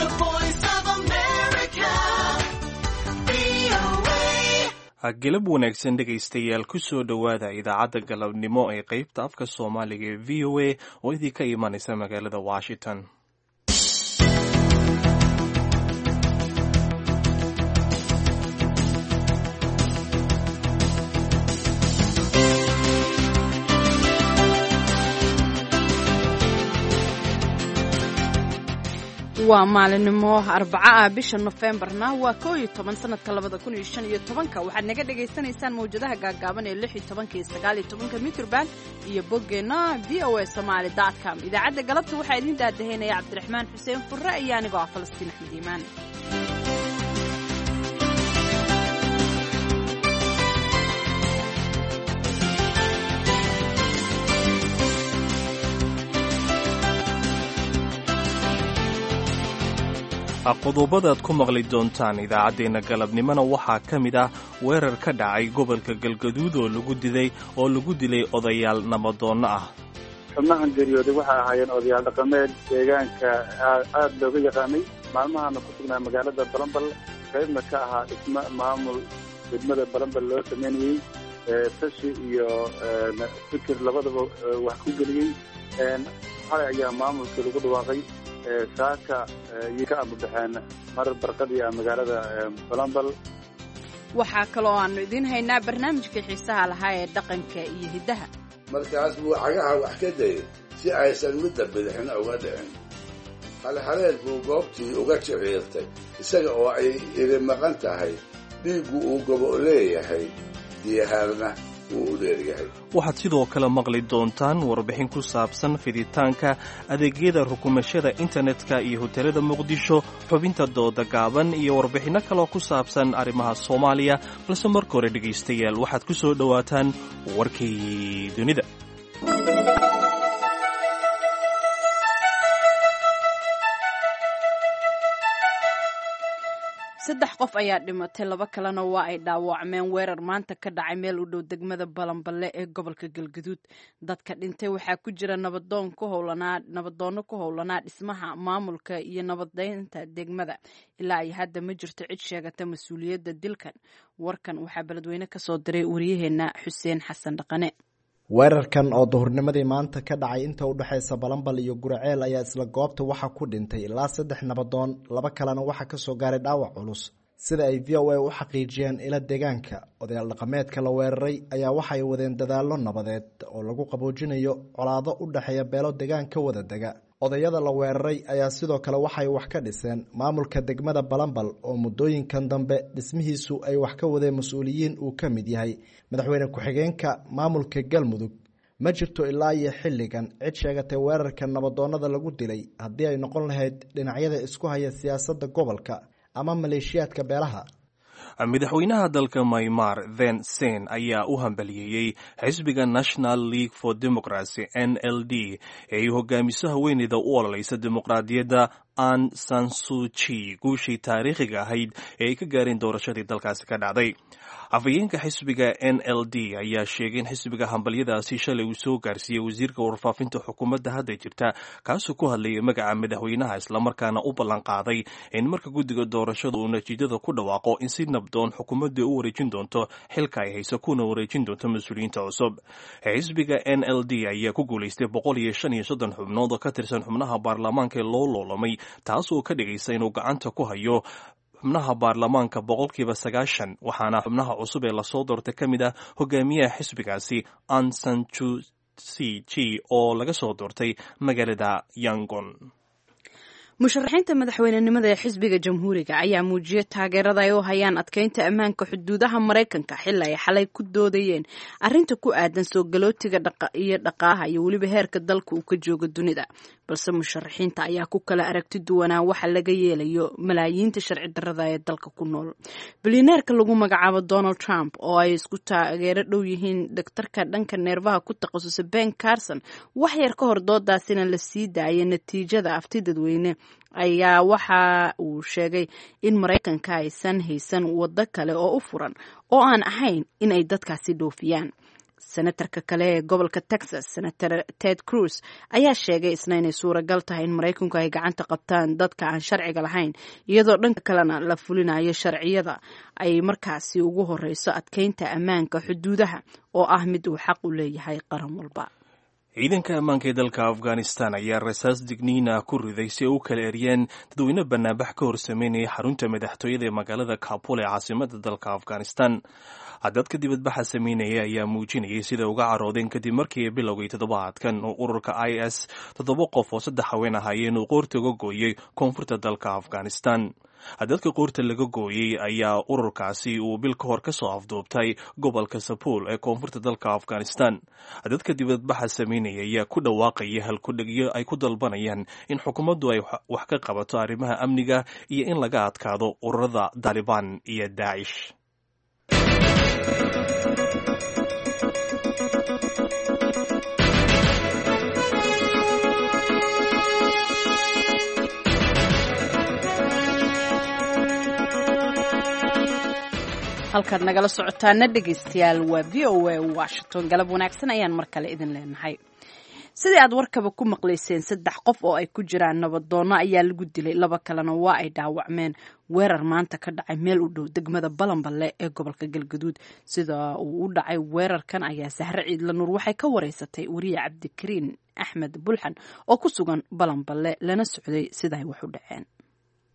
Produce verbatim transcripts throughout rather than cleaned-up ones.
The Voice of America, V O A. Galab wanaagsan, dhegaystayaal. Ku soo dhowaada idaacadda galabnimo ee qeybta afka Soomaaliga ee V O A oo idinka imanaysa magaalada Washington. Waa maalinimo Arbaco ah, bisha Nofembarna waa koo iyo toban, sanadka labada kun iyo shan iyo tobanka. Waxaad naga dhagaysanaysaan mawjadaha gaagaaban ee lix iyo tobanka iyo sagaal iyo tobanka mitroband iyo boggeena V O A Somaly dot com. Idaacadda galabta waxaa idiin daadaheynaya Cabdiraxmaan Xuseen Furre iyo anigoo ah Falastiin Axmed Iimaan. Qodobadaad ku maqli doontaan idaacaddeenna galabnimona waxaa ka mid ah weerar ka dhacay gobolka Galgaduud oo lagu diday oo lagu dilay odayaal nabadoonno ah. Xubnahan geeriyooday waxay ahaayeen odayaal dhaqameed deegaanka aada looga yaqaanay, maalmahana ku sugnaa magaalada Balambal, qaybna ka ahaa dhismo maamul degmada Balambal loo sameynayey, tashi iyo fikir labadaba wax ku geliyey. Xalay ayaa maamulkii lagu dhawaaqay, saaka ayay ka ambabaxeen marar barqadii ah magaalada Balambal. Waxaa kaloo aanu idiin haynaa barnaamijkii xiisaha lahaa ee dhaqanka iyo hiddaha. Markaas buu cagaha wax ka dayay si aysan midda bidixna uga dhicin. Halhaleel buu goobtii uga jiciirtay, isaga oo ay iri maqan tahay, dhiiggu uu gobo leeyahay, diyahaarna wuu u dheeryahay. Waxaad sidoo kale maqli doontaan warbixin ku saabsan fiditaanka adeegyada rukumashada internetka iyo hoteelada Muqdisho, xubinta dooda gaaban iyo warbixinno kaloo ku saabsan arrimaha Soomaaliya. Balse marka hore, dhegaystayaal, waxaad ku soo dhowaataan warkii dunida. Saddex qof ayaa dhimatay, laba kalena waa ay dhaawacmeen weerar maanta ka dhacay meel u dhow degmada Balanballe ee gobolka Galgaduud. Dadka dhintay waxaa ku jira nabadoon ku howlanaa nabadoonno ku howlanaa dhismaha maamulka iyo nabadeynta degmada. Ilaa ay hadda ma jirto cid sheegata mas-uuliyadda dilkan. Warkan waxaa beledweyne kasoo diray wariyaheena Xuseen Xasan Dhaqane. Weerarkan oo duhurnimadii maanta ka dhacay inta u dhexaysa Balambal iyo Guraceel ayaa isla goobta waxaa ku dhintay ilaa saddex nabadoon, laba kalena waxaa kasoo gaaray dhaawac culus, sida ay V O A u xaqiijiyeen ila deegaanka. Odayaal dhaqameedka la weeraray ayaa waxay wadeen dadaallo nabadeed oo lagu qaboojinayo colaado u dhexeeya beelo deegaanka wada dega. Odayada la weeraray ayaa sidoo kale waxay wax ka dhiseen maamulka degmada Balambal oo muddooyinkan dambe dhismihiisu ay wax ka wadeen mas-uuliyiin uu ka mid yahay madaxweyne ku-xigeenka maamulka Galmudug. Ma jirto ilaa iyo xilligan cid sheegatay weerarka nabadoonnada lagu dilay, haddii ay noqon lahayd dhinacyada isku haya siyaasadda gobolka ama maleeshiyaadka beelaha. Madaxweynaha dalka Maymar, Then Sen, ayaa u hambaliyeeyey xisbiga National League for Democracy, N L D, ee ay hogaamiso haweeneyda u ololeysa dimuqraadiyadda An Sansuji, guushii taariikhiga ahayd ee ay ka gaareen doorashadii dalkaasi ka dhacday. Afhayeenka xisbiga N L D ayaa sheegay in xisbiga hambalyadaasi shalay uu soo gaarsiiyey wasiirka warfaafinta xukuumadda hadda jirta, kaasoo ku hadlayay magaca madaxweynaha, islamarkaana u ballan qaaday in marka guddiga doorashada uu natiijada ku dhawaaqo in si nabdoon xukuumadda u wareejin doonto xilka ay hayso, kuna wareejin doonto mas-uuliyiinta cusub. Xisbiga N L D ayaa ku guulaystay boqol iyo shan iyo soddon xubnood oo ka tirsan xubnaha baarlamaanka ee loo loolamay, taas oo ka dhigaysa inuu gacanta ku hayo xubnaha baarlamaanka boqolkiiba sagaashan. Waxaana xubnaha cusub ee lasoo doortay ka mid ah hogaamiyaha xisbigaasi Ansanchu C G oo laga soo doortay magaalada Yangon. Musharaxiinta madaxweynenimada ee xisbiga Jamhuuriga ayaa muujiyay taageerada ay u hayaan adkeynta ammaanka xuduudaha Maraykanka, xili ay xalay ku doodayeen arrinta ku aadan soo galootiga iyo dhaqaalaha iyo weliba heerka dalka uu ka joogo dunida. Balse musharaxiinta ayaa ku kala aragti duwanaa waxa laga yeelayo malaayiinta sharci darrada ee dalka ku nool. Bilyaneerka lagu magacaabo Donald Trump, oo ay isku taageero dhow yihiin daktarka dhanka neerfaha ku takhasusay Ben Carson, wax yar ka hor doodaasina la sii daayay natiijada afti dadweyne, ayaa waxa uu sheegay in Maraykanka aysan haysan waddo kale oo u furan oo aan ahayn in ay dadkaasi dhoofiyaan. Senatarka kale ee gobolka Texas, Senator Ted Cruz, ayaa sheegay isna inay suuragal tahay in Maraykanku ay gacanta qabtaan dadka aan sharciga lahayn, iyadoo dhanka kalena la fulinayo sharciyada ay markaasi ugu horeyso adkeynta ammaanka xuduudaha oo ah mid uu xaq u leeyahay qaran walba. Ciidanka ammaanka ee dalka Afghanistan ayaa rasaas digniina ku riday si ay u kala eryeen dadweyne banaanbax ka hor sameynaya xarunta madaxtooyada ee magaalada Kabul ee caasimada dalka Afghanistan. Dadka dibadbaxa sameynaya ayaa muujinayay sida uga caroodeen kadib markii ay bilowgay toddobaadkan oo ururka I S toddoba qof oo saddex haween ahaayeen uu qoorta uga gooyey koonfurta dalka Afghanistan. Dadka qoorta laga gooyey ayaa ururkaasi uu bil ka hor ka soo afduubtay gobolka Sabuul ee koonfurta dalka Afghanistan. Dadka dibadbaxa sameynaya ayaa ku dhawaaqaya halkudhegyo ay ku dalbanayaan in xukuumaddu ay wax ka qabato arrimaha amniga iyo in laga adkaado ururada Taalibaan iyo Daacish. Halkaad nagala socotaana dhegaystayaal waa V O A Washington. Galab wanaagsan ayaan mar kale idin leenahay. Sidii aad warkaba ku maqlayseen, saddex qof oo ay ku jiraan nabadoonno ayaa lagu dilay, laba kalena waa ay dhaawacmeen weerar maanta ka dhacay meel u dhow degmada Balanballe ee gobolka Galgaduud. Sida uu u dhacay weerarkan ayaa Sahre Ciidla Nuur waxay ka wareysatay wariye Cabdikariin Axmed Bulxan oo ku sugan Balanballe lana socday sida ay wax u dhaceen.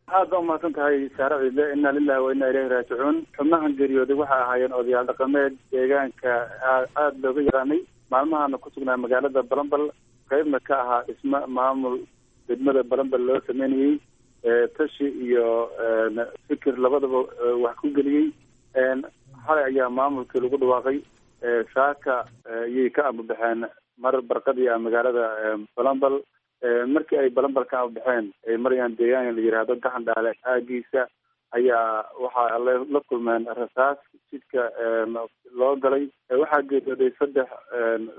Aad baa umahadsan tahay Saare Ciidle. Inna lilahi wa inna ilayhi raajicuun. Xubnahan geeriyooday waxay ahaayeen odayaal dhaqameed deegaanka aada looga yaqaanay, maalmahana ku sugnaa magaalada Balanbal, qeybna ka ahaa dhismo maamul degmada Balanbal loo sameynayey, tashi iyo fikir labadaba wax ku geliyey. Xalay ayaa maamulkii lagu dhawaaqay, saaka ayay ka ambabaxeen mar barqadii ah magaalada Balanbal. Markii ay Balanbal ka ambabaxeen ay marayaan deegaan la yidhaahdo Gaxan Dhaale aagiisa ayaa waxaa la kulmeen rasaas jidka loo galay. Waxaa geeriyooday saddex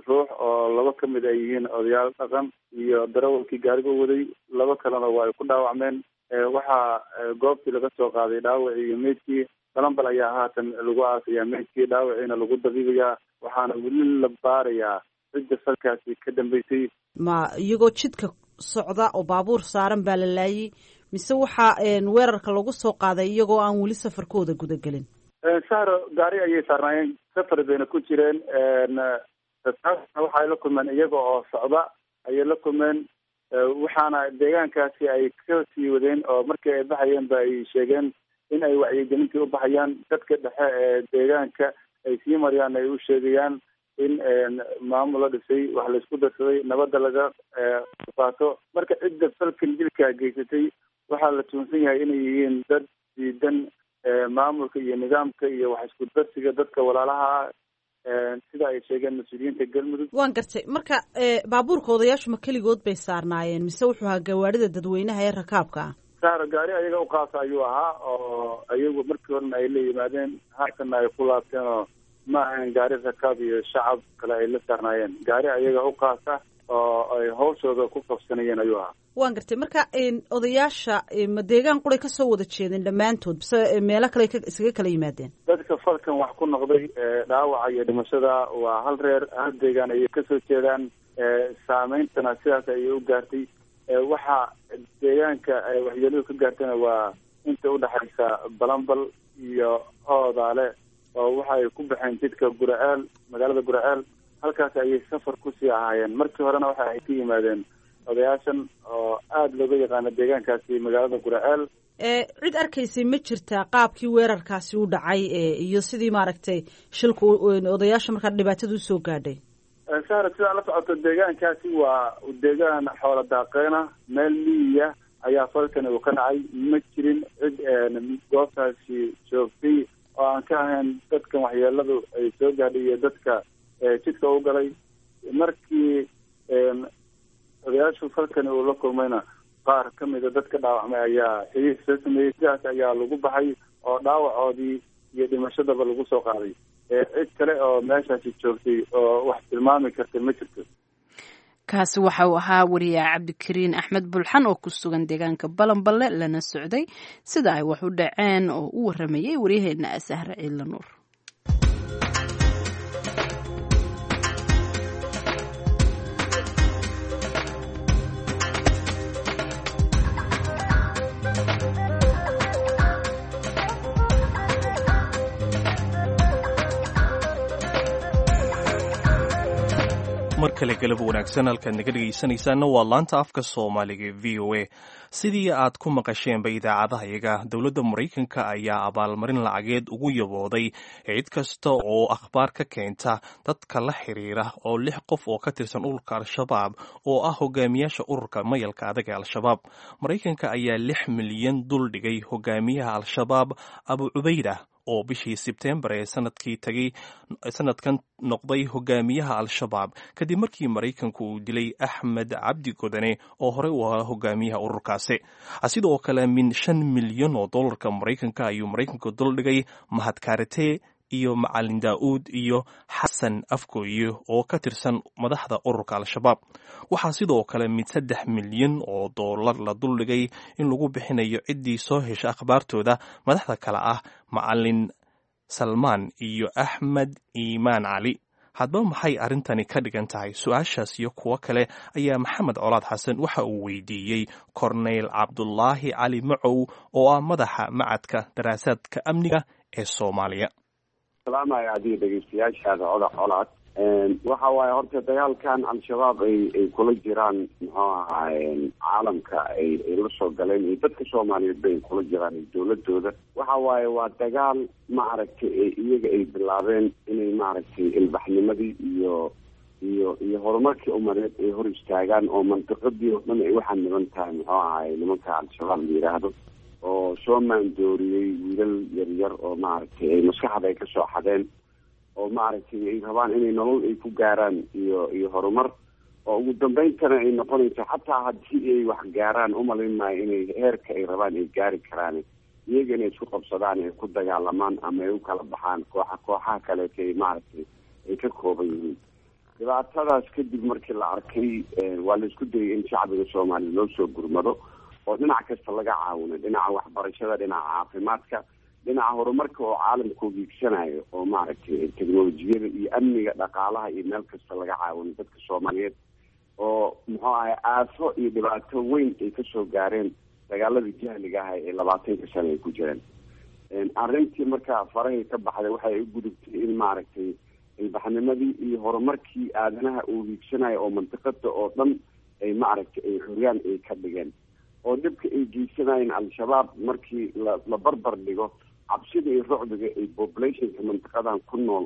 ruux oo laba ka mid ay yihiin odayaal dhaqan iyo darawalkii gaariga u waday, laba kalena waa ay ku dhaawacmeen. Waxaa goobtii laga soo qaaday dhaawacii iyo meydkii. Balanbal ayaa haatan lagu aasayaa meydkii, dhaawaciina lagu dabiibayaa, waxaana weli la baarayaa cidda salkaasi ka dambeysay. Ma iyagoo jidka socda oo baabuur saaran baa la laayay, mise waxaa weerarka lagu soo qaaday iyagoo aan weli safarkooda gudagelin? Sahro, gaari ayay saarnaayeen, safar bayna ku jireen. Rasaasna waxay la kulmeen iyaga oo socda ayay la kulmeen, waxaana deegaankaasi ay ka sii wadeen oo markii ay baxayeen ba ay sheegeen in ay wacyigelintii u baxayaan dadka dhexe ee deegaanka ay sii marayaan, ay u sheegayaan in maamul la dhisay, wax laisku darsaday, nabadda laga qaato. Marka cidda falkan dilkaa geysatay waxaa la tuunsan yahay inay yihiin dad diidan maamulka iyo nidaamka iyo wax isku darsiga dadka walaalaha ah, sida ay sheegeen mas-uuliyiinta Galmudug. Waan gartay. Marka baabuurka odayaashu ma keligood bay saarnaayeen mise wuxuu ahaa gawaarida dadweynaha ee rakaabka ah? Saaro, gaari ayaga u qaasa ayuu ahaa oo ayagu markii horena ay la yimaadeen, haatanna ay ku laabteen, oo ma ahayn gaari rakaab iyo shacab kale ay la saarnaayeen, gaari ayaga u qaasa oo ay hawshooda ku qabsanayeen ayuu ahaa. Waan gartay. Marka odayaasha ma deegaan quray kasoo wada jeedeen dhammaantood mise meelo kale iskaga kala yimaadeen? Dadka falkan wax ku noqday dhaawaca iyo dhimashada waa hal reer, hal deegaan ayay kasoo jeedaan, saameyntana sidaas ayay u gaartay. Waxa deegaanka ay waxyeeladu ka gaartayna waa inta udhexaysa Balanbal iyo Oodaale, oo waxa ay ku baxeen jidka Guraceel, magaalada Guraceel, halkaas ayay safar kusii ahaayeen. Markii horena waxa ay ka yimaadeen odayaashan oo aada looga yaqaano deegaankaasi magaalada Guraceel. Cid arkaysay ma jirtaa qaabkii weerarkaasi u dhacay iyo sidii maaragtay shilku odayaasha markaa dhibaatada usoo gaadhay? Sahra, sidaa la socoto deegaankaasi waa deegaan xoola daaqeena, meel miyiya ayaa falkani uu ka dhacay. Ma jirin cid goobtaasi joogtay oo aan ka ahayn dadkan waxyeeladu ay soo gaadhay iyo dadka jidka u galay. Markii odayaashu falkani uu la kulmayna qaar ka mida dadka dhaawacmay ayaa xiriir soo sameeyey, sidaas ayaa lagu baxay oo dhaawacoodii iyo dhimashadaba lagu soo qaaday. Cid kale oo meeshaasi joogtay oo wax tilmaami karta ma jirto. Kaasi waxa uu ahaa wariyaha Cabdikariin Axmed Bulxan oo ku sugan deegaanka Balanballe lana socday sida ay wax u dhaceen oo u waramayay waryaheena Sahre Ciidla Nuur. Mar kale galab wanaagsan. Halkaad naga dhegaysanaysaana waa laanta afka Soomaaliga V O A. Sidii aad ku maqasheenba idaacadahayaga, dowladda Maraykanka ayaa abaalmarin lacageed ugu yabooday cid kasta oo akhbaar ka keenta dadka la xiriira oo lix qof oo ka tirsan ururka Al-Shabaab, oo ah hogaamiyaasha ururka mayalka adag ee Al-Shabaab. Maraykanka ayaa lix milyan dul dhigay hogaamiyaha Al-Shabaab Abu Cubayda, oo bishii Sebtembar ee sanadkii tagay sanadkan noqday hogaamiyaha Al-Shabaab, kadib markii Maraykanku uu dilay Axmed Cabdi Godane, oo horey u ahaa hogaamiyaha ururkaasi. Sidoo kale min shan milyan oo dollarka Maraykanka ayuu Maraykanku duldhigay Mahad Karate iyo Macalin Daa'uud iyo Xasan Afgooye, oo ka tirsan madaxda ururka Al-Shabaab. Waxaa sidoo kale mid saddex milyan oo dollar la duldhigay in lagu bixinayo ciddii soo hesha akhbaartooda madaxda kale ah Macalin Salmaan iyo Axmed Iimaan Cali. Haddaba maxay arrintani ka dhigan tahay? Su-aashaas iyo kuwo kale ayaa Maxamed Colaad Xasan waxa uu weydiiyey Korneyl Cabdulaahi Cali Macow, oo ah madaxa Macadka Daraasaadka Amniga ee Soomaaliya. Salaamaya adiga, dhegeystayaashaada oda Colaad. Waxa waaye horta dagaalkan Al-Shabaab ay ay kula jiraan, muxuu ahaay, caalamka ay ay la soo galeen iyo dadka Soomaaliyeed bay kula jiraan iyo dowladooda, waxa waaye waa dagaal, maaragtay, ee iyaga ay bilaabeen inay, maaragtay, ilbaxnimadii iyo iyo iyo horumarkii umadeed ay hor istaagaan, oo mantiqadii oo dhan ay waxaa niban tahay, muxuu ahaay, nimanka Al-Shabaab la yidhaahdo, oo soo maandooriyey wiilal yaryar oo, maaragtay, ay maskaxda ay kasoo xadeen, oo, maaragtay, ay rabaan inay nolol ay ku gaaraan iyo iyo horumar, oo ugu dambeyntana ay noqonayso xataa haddii ay wax gaaraan, umalayn maayo inay heerka ay rabaan ay gaari karaan, iyaga inay isku qabsadaan, ay ku dagaalamaan ama ay u kala baxaan kooxa kooxaha kaleeto ay, maaragtay, ay ka kooban yihiin. Dhibaatadaas kadib markii la arkay, waa la isku dayay in shacbiga Soomaaliya loo soo gurmado oo dhinac kasta laga caawino, dhinaca waxbarashada, dhinaca caafimaadka, dhinaca horumarka oo caalamku hiigsanayo, oo, maaragtay, teknolojiyada iyo amniga, dhaqaalaha iyo meel kasta laga caawino dadka Soomaaliyeed, oo muxuu ahay aafo iyo dhibaato weyn ay kasoo gaareen dagaaladii jahliga ah ee labaatanka sano ay ku jireen. Arrintii markaa farahay ka baxday, waxay u gudubtay in, maaragtay, ilbaxnimadii iyo horumarkii aadanaha uu hiigsanayo oo mantiqada oo dhan ay, maaragtay, ay xuryaan ay ka dhigeen, oo dhibka ay geysanayeen Al-Shabaab markii la la barbar dhigo cabsida iyo rucbiga ay populationka mantiqadan ku nool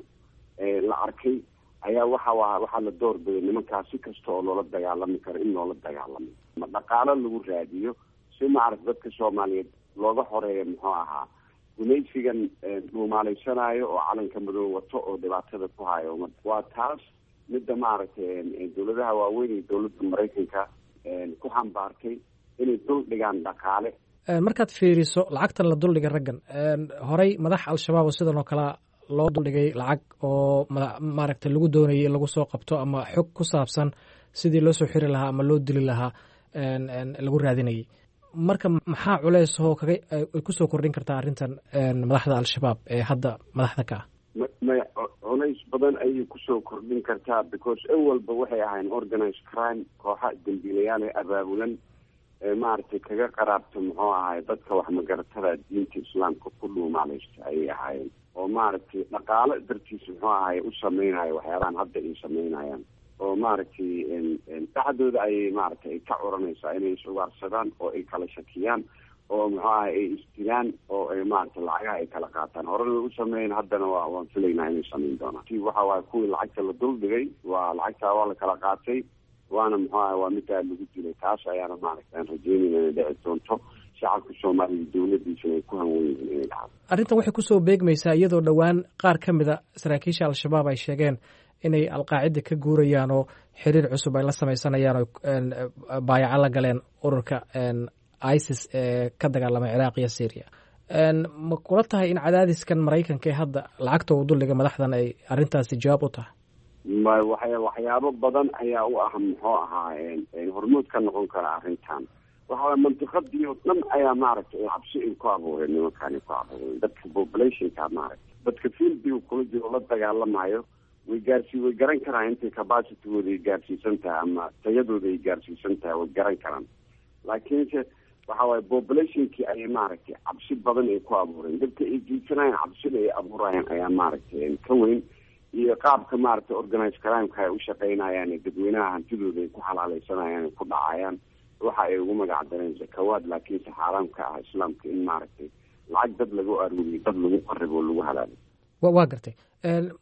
la arkay, ayaa waxa wa waxaa la doorbiday nimankaas si kasta oo loola dagaalami karo in loola dagaalamo, ma dhaqaalo lagu raadiyo, si, maaragta, dadka Soomaaliyeed looga xoreeyo, muxuu ahaa, gumaysigan dhuumaaleysanaayo oo calanka madow wato oo dhibaatada ku hayo ummadda. Waa taas midda, maaragtay, dowladaha waaweyn iyo dowladda Maraykanka ku xambaartay inay dul dhigaan dhaqaale. Markaad fiiriso lacagtan la duldhigay raggan, horey madax Al-Shabaab oo sidan oo kalea loo duldhigay lacag oo maaragtay lagu doonayay in lagu soo qabto ama xog ku saabsan sidii loo soo xiri lahaa ama loo dili lahaa lagu raadinayay. Marka maxaa culeys oo kaga ay kusoo kordhin kartaa arrintan madaxda Al-Shabaab ee hadda madaxda ka ah? Maya, culays badan ayay kusoo kordhin kartaa, because awalba waxay ahayn organized crime, kooxa dambiilayaal ee abaabulan ee, maaragtay, kaga qaraabta, muxuu ahaay, dadka wax magaratada diinta Islaamka ku dhuumaaleysta ayay ahaayeen, oo, maaragtay, dhaqaalo dartiis, muxuu ahaay, u sameynayo waxyaabahan hadda ay sameynayaan, oo, maaragtay, dhexdooda ayay, maaragtay, ay ka curanaysaa inay is-ugaarsadaan oo ay kala shakiyaan oo, muxuu ahay, ay isdilaan oo ay, maaragtay, lacagaha ay kala qaataan. Horena way u sameeyeen, haddana waa waan filaynaa inay sameyn doonaan. Waxa waaye kuwii lacagta la dul dhigay, waa lacagtaa waa la kala qaatay, waana, muxuu ahay, waa middaa lagu dilay. Taas ayaana, maaragtay, aan rajeynayna inay dhici doonto, shacabka Soomaaliya dowladiisana ay ku hanwen yihiin inay dhacdo. Arrintan waxay kusoo beegmaysaa iyadoo dhowaan qaar ka mid a saraakiisha Al-Shabaab ay sheegeen inay Alqaacida ka guurayaan oo xiriir cusub ay la sameysanayaan oo baayaco la galeen ururka ISIS ee ka dagaalamay Ciraaq iyo Syria. Ma kula tahay in cadaadiskan Maraykanka ee hadda lacagta uu duldhigay madaxdan ay arrintaasi jawaab u tahay? Ma waxya waxyaabo badan ayaa u ah, muxuu ahaa, hormuud ka noqon kara arrintan. Waxa waye mantiqadii oo dhan ayaa, maaragtay, cabsi ay ku abuureen nimankaani, ku abuureen dadka populationka, maaragtay, dadka fieldiga kula jiro la dagaalamayo. Way gaarsii way garan karaan intay capacitygooda ay gaarsiisan tahay ama tayadooda ay gaarsiisan tahay, way garan karaan, laakiinse waxa waaye populationkii ayay, maaragtay, cabsi badan ay ku abuureen. Dadka ay geysanayaan cabsida ay abuurayaan ayaa, maaragtay, ka weyn Iyo qaabka maaragtay organized crimeka ay u shaqeynayaan ee dadweynaha hantidooda ay ku xalaaleysanayaan ay ku dhacayaan, waxa ay ugu magac dareen zakawaad, laakiinse xaaraam ka ah islaamka in maaragtay lacag dad lagu aruuriyo, dad lagu qaribo oo lagu halaalo. Waa gartay.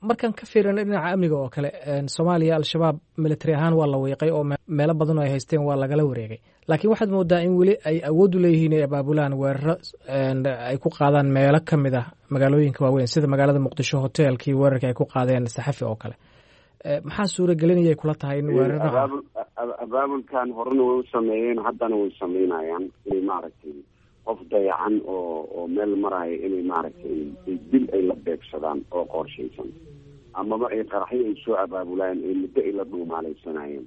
Markaan ka fiirino dhinaca amniga oo kale, Soomaaliya Al-Shabaab military ahaan waa la wiiqay oo meelo badan oo ay haysteen waa lagala wareegay, laakiin waxaad moodaa in weli ay awood u leeyihiin inay abaabulaan weeraro ay ku qaadaan meelo ka mid ah magaalooyinka waaweyn, sida magaalada Muqdisho hoteelkii weerarkii ay ku qaadeen Saxafi oo kale. Maxaa suuragelinayay kula tahay in weeraro abaabul abaabulkan horena way u sameeyeen, haddana way sameynayaan, inay maaragtay qof dayacan oo oo meel maraayo inay maaragtay dil ay la beegsadaan oo qorshaysan, amaba ay qaraxyo ay soo abaabulaan ay muddo ay la dhuumaaleysanayeen.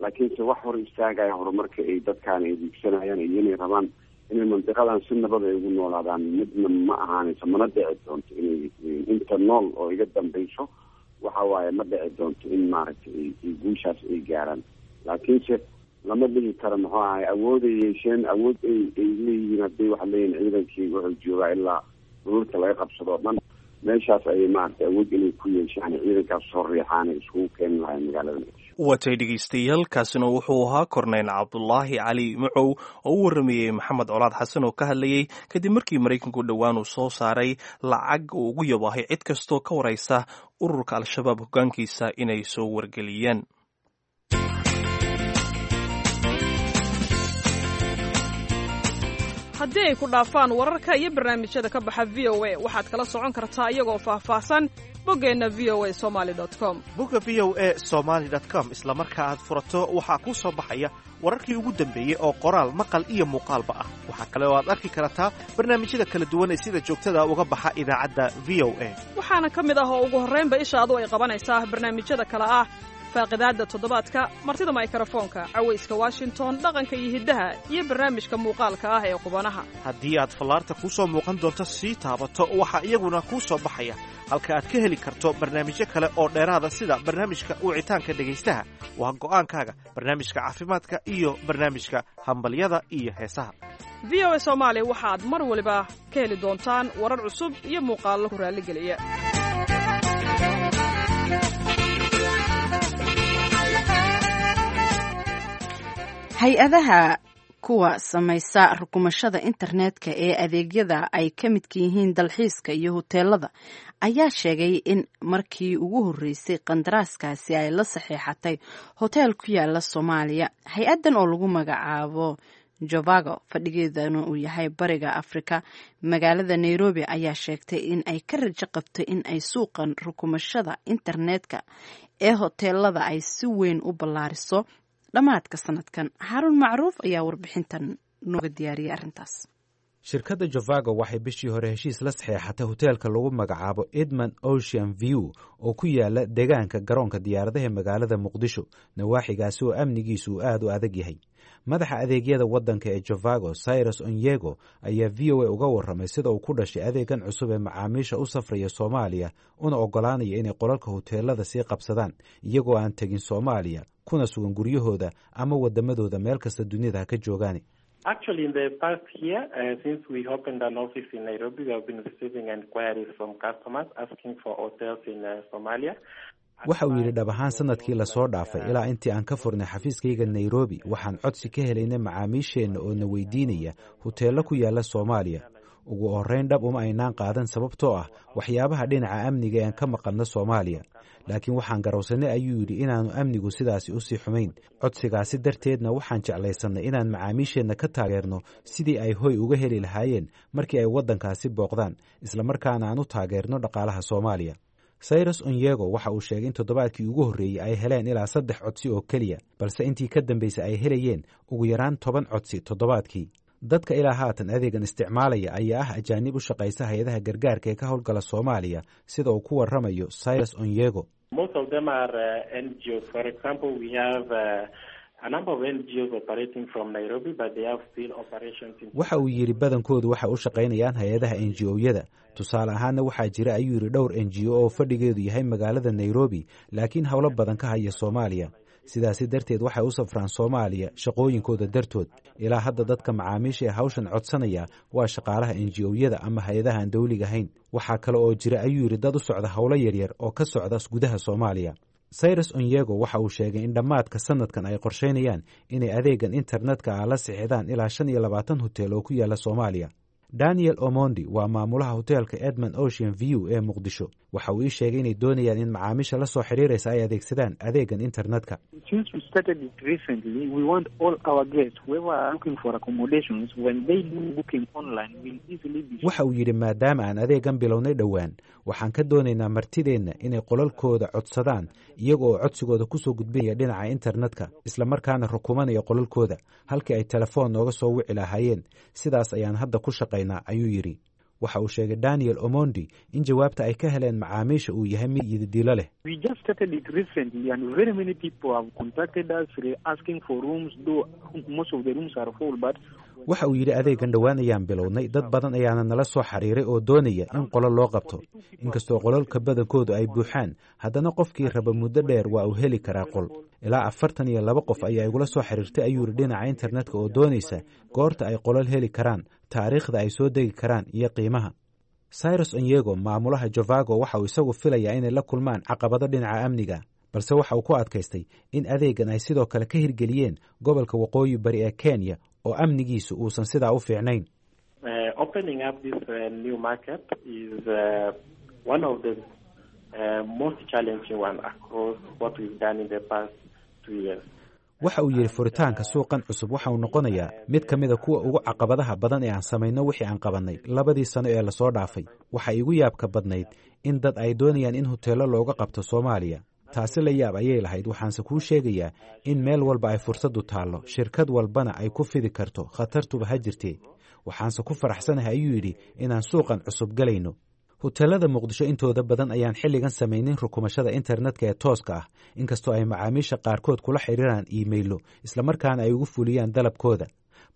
Laakiinse wax hor istaagaya horumarka ay dadkaan ay diigsanayaan iyo inay rabaan inay mandiqadan si nabad ay ugu noolaadaan midna ma ahaanayso, mana dhici doonto inay inta nool oo iga dambayso waxa waaye ma dhici doonto in maaragtay ay guushaas ay gaaraan. Laakiinse lama dhihi karo muxuu ahay awood ay yeesheen, awood ay ay leeyihiin hadday waxaa leeyihin ciidankii wuxuu joogaa ilaa dhululka laga qabsado o dhan meeshaas ayay maaragtay awood inay ku yeeshaan ciidankaas soo riixaan ay iskugu keeni lahayn magaalada Muqdisho. Watay dhegeystayaal, kaasina wuxuu ahaa Korneyl Cabdulaahi Cali Macow oo u waramayey Maxamed Colaad Xasan oo ka hadlayey kadib markii Maraykanku dhowaan uu soo saaray lacag uu ugu yabaahay cid kastoo ka waraysa ururka Al-Shabaab hoggaankiisa inay soo wargeliyeen. Haddii ay ku dhaafaan wararka iyo barnaamijyada ka baxa V O A, waxaad kala socon kartaa iyagoo faahfaahsan boggeenna V O A somaly com. Bogga V O A somaly com isla marka aad furato waxaa kuu soo baxaya wararkii ugu dambeeyey oo qoraal, maqal iyo muuqaalba ah. Waxaa kale oo aad arki kartaa barnaamijyada kala duwan ee sida joogtada uga baxa idaacadda V O A. Waxaana ka mid ah oo ugu horraynba ishaadu ay qabanaysaa barnaamijyada kale ah faaqidaadda toddobaadka, martida maykarafoonka, cawayska Washington, dhaqanka iyo hiddaha, iyo barnaamijka muuqaalka ah ee qubanaha. Haddii aad fallaarta kuu soo muuqan doonto sii taabato, waxaa iyaguna kuu soo baxaya halka aad ka heli karto barnaamijyo kale oo dheeraada, sida barnaamijka wicitaanka dhegaystaha, waa go'aankaaga, barnaamijka caafimaadka iyo barnaamijka hambalyada iyo heesaha. V O A Soomaali waxaad mar waliba ka heli doontaan warar cusub iyo muuqaallo ku raalligeliya. Hay-adaha kuwa samaysa rukumashada internetka ee adeegyada ay ka midka yihiin dalxiiska iyo huteelada ayaa sheegay in markii ugu horreysay qandaraaskaasi ay la saxiixatay hoteel ku yaala Soomaaliya. Hay-addan oo lagu magacaabo Jovago, fadhigeedana uu yahay Bariga Afrika magaalada Nairobi, ayaa sheegtay in ay ka rajo qabto in ay suuqan rukumashada internetka ee hoteelada ay si weyn u ballaariso dhammaadka sanadkan. Xaarun Macruuf ayaa warbixintan nooga diyaariyay arrintaas. Shirkadda Jovago waxay bishii hore heshiis la saxeexatay hoteelka lagu magacaabo Edmond Ocean View oo ku yaala deegaanka garoonka diyaaradaha magaalada Muqdisho, nawaaxigaasi oo amnigiisu uu aad u adag yahay. Madaxa adeegyada waddanka ee Jovago, Cyrus Onyego, ayaa V O A uga warramay sida uu ku dhashay adeegan cusub ee macaamiisha u safraya Soomaaliya una oggolaanaya inay qolalka hoteelada sii qabsadaan iyagoo aan tegin Soomaaliya, kuna sugan guryahooda ama waddamadooda meel kasta dunida ha ka joogaan. Actually, in the past year, uh, since we opened an office in Nairobi, we have been receiving inquiries from customers asking for hotels in uh, Somalia. Waxa uu yidhi, dhab ahaan sanadkii lasoo dhaafay ilaa intii aan ka furnay xafiiskayga Nairobi, waxaan codsi ka helaynay macaamiisheenna oo na weydiinaya huteello ku yaala Soomaaliya. Ugu horrayn dhab uma aynaan qaadan, sababtoo ah waxyaabaha dhinaca amniga ee aan ka maqalno Soomaaliya, laakiin waxaan garowsannay, ayuu yidhi, inaannu amnigu sidaasi usii xumayn. Codsigaasi darteedna waxaan jeclaysannay inaan macaamiisheenna ka taageerno sidii ay hoy uga heli lahaayeen markii ay waddankaasi booqdaan, islamarkaana aan u taageerno dhaqaalaha Soomaaliya. Cyrus Onyego waxa uu sheegay in toddobaadkii ugu horreeyey ay heleen ilaa saddex codsi oo keliya, balse intii ka dambaysay ay helayeen ugu yaraan toban codsi toddobaadkii. Dadka ilaa haatan adeegan isticmaalaya ayaa ah ajaanib u shaqaysa hay-adaha gargaarka ee ka howlgala Soomaaliya, sida uu ku warramayo Cyrus Onyego. Most of them are uh, N G Os. For example, we have uh, a number of N G Os operating from Nairobi, but they have still operations in. Waxa uu yidhi, badankoodu waxay u shaqaynayaan hay-adaha N G O-yada. Tusaale ahaanna waxaa jira, ayuu yidhi, dhowr N G O oo fadhigeedu yahay magaalada Nairobi, laakiin howlo badan ka haya Soomaaliya. Sidaasi darteed waxay u safraan Soomaaliya shaqooyinkooda dartood. Ilaa hadda dadka macaamiisha ee hawshan codsanaya waa shaqaalaha N G O-yada ama hay-adaha aan dowliga ahayn. Waxaa kale oo jira, ayuu yidhi, dad u socda howlo yaryar oo ka socda gudaha Soomaaliya. Cyrus Onyego waxa uu sheegay in dhammaadka sanadkan ay qorsheynayaan inay adeegan internetka ah la sixidaan ilaa shan iyo labaatan hotel oo ku yaala Soomaaliya. Daniel Omondi waa maamulaha hoteelka Edmond Ocean View ee Muqdisho. Waxa uu ii sheegay inay doonayaan in macaamiisha la soo xiriiraysa ay adeegsadaan adeegan internetka. Waxa uu yidhi, maadaama aan adeegan bilownay dhowaan, waxaan ka doonaynaa martideenna inay qolalkooda codsadaan iyaga oo codsigooda kusoo gudbinaya dhinaca internetka, islamarkaana rukumanaya qolalkooda halkii ay telefoon nooga soo wici lahaayeen. Sidaas ayaan hadda ku shaqaynaa, ayuu yidhi. Waxa uu sheegay Daniel Omondi in jawaabta ay ka heleen macaamiisha uu yahay mid yididilo leh. Waxa uu yidhi, adeegan dhowaan ayaan bilownay, dad badan ayaana nala soo xiriiray oo doonaya in qolo loo qabto. Inkastoo qolalka badankoodu ay buuxaan, haddana qofkii raba muddo dheer waa uu heli karaa qol. Ilaa afartan iyo laba qof ayaa igula soo xiriirtay, ayuu yidhi, dhinaca internetka oo doonaysa goorta ay qolal heli karaan, taariikhda ay soo degi karaan iyo qiimaha. Cyrus Onyego, maamulaha Jovago, waxa uu isagu filayaa inay la kulmaan caqabado dhinaca amniga, balse waxa uu ku adkaystay in adeegan ay sidoo kale ka hirgeliyeen gobolka waqooyi bari ee Kenya oo amnigiisu uusan sidaa u fiicnayn. Waxa uu yidhi, furitaanka suuqan cusub waxa uu noqonayaa mid ka mida kuwa ugu caqabadaha badan ee aan samayno wixii aan qabannay labadii sano ee lasoo dhaafay. Waxa igu yaabka badnayd in dad ay doonayaan in hoteello looga qabto Soomaaliya. Taasi la yaab ayay lahayd. Waxaanse kuu sheegayaa in meel walba ay fursaddu taallo, shirkad walbana ay ku fidi karto, khatartuba ha jirtee. Waxaanse ku faraxsanahay, ayuu yidhi, inaan suuqan cusub galayno. Hoteelada Muqdisho intooda badan ayaan xilligan samaynin rukumashada internetka ee tooska ah, inkastoo ay macaamiisha qaarkood kula xiriiraan iimaylo islamarkaana ay ugu fuliyaan dalabkooda.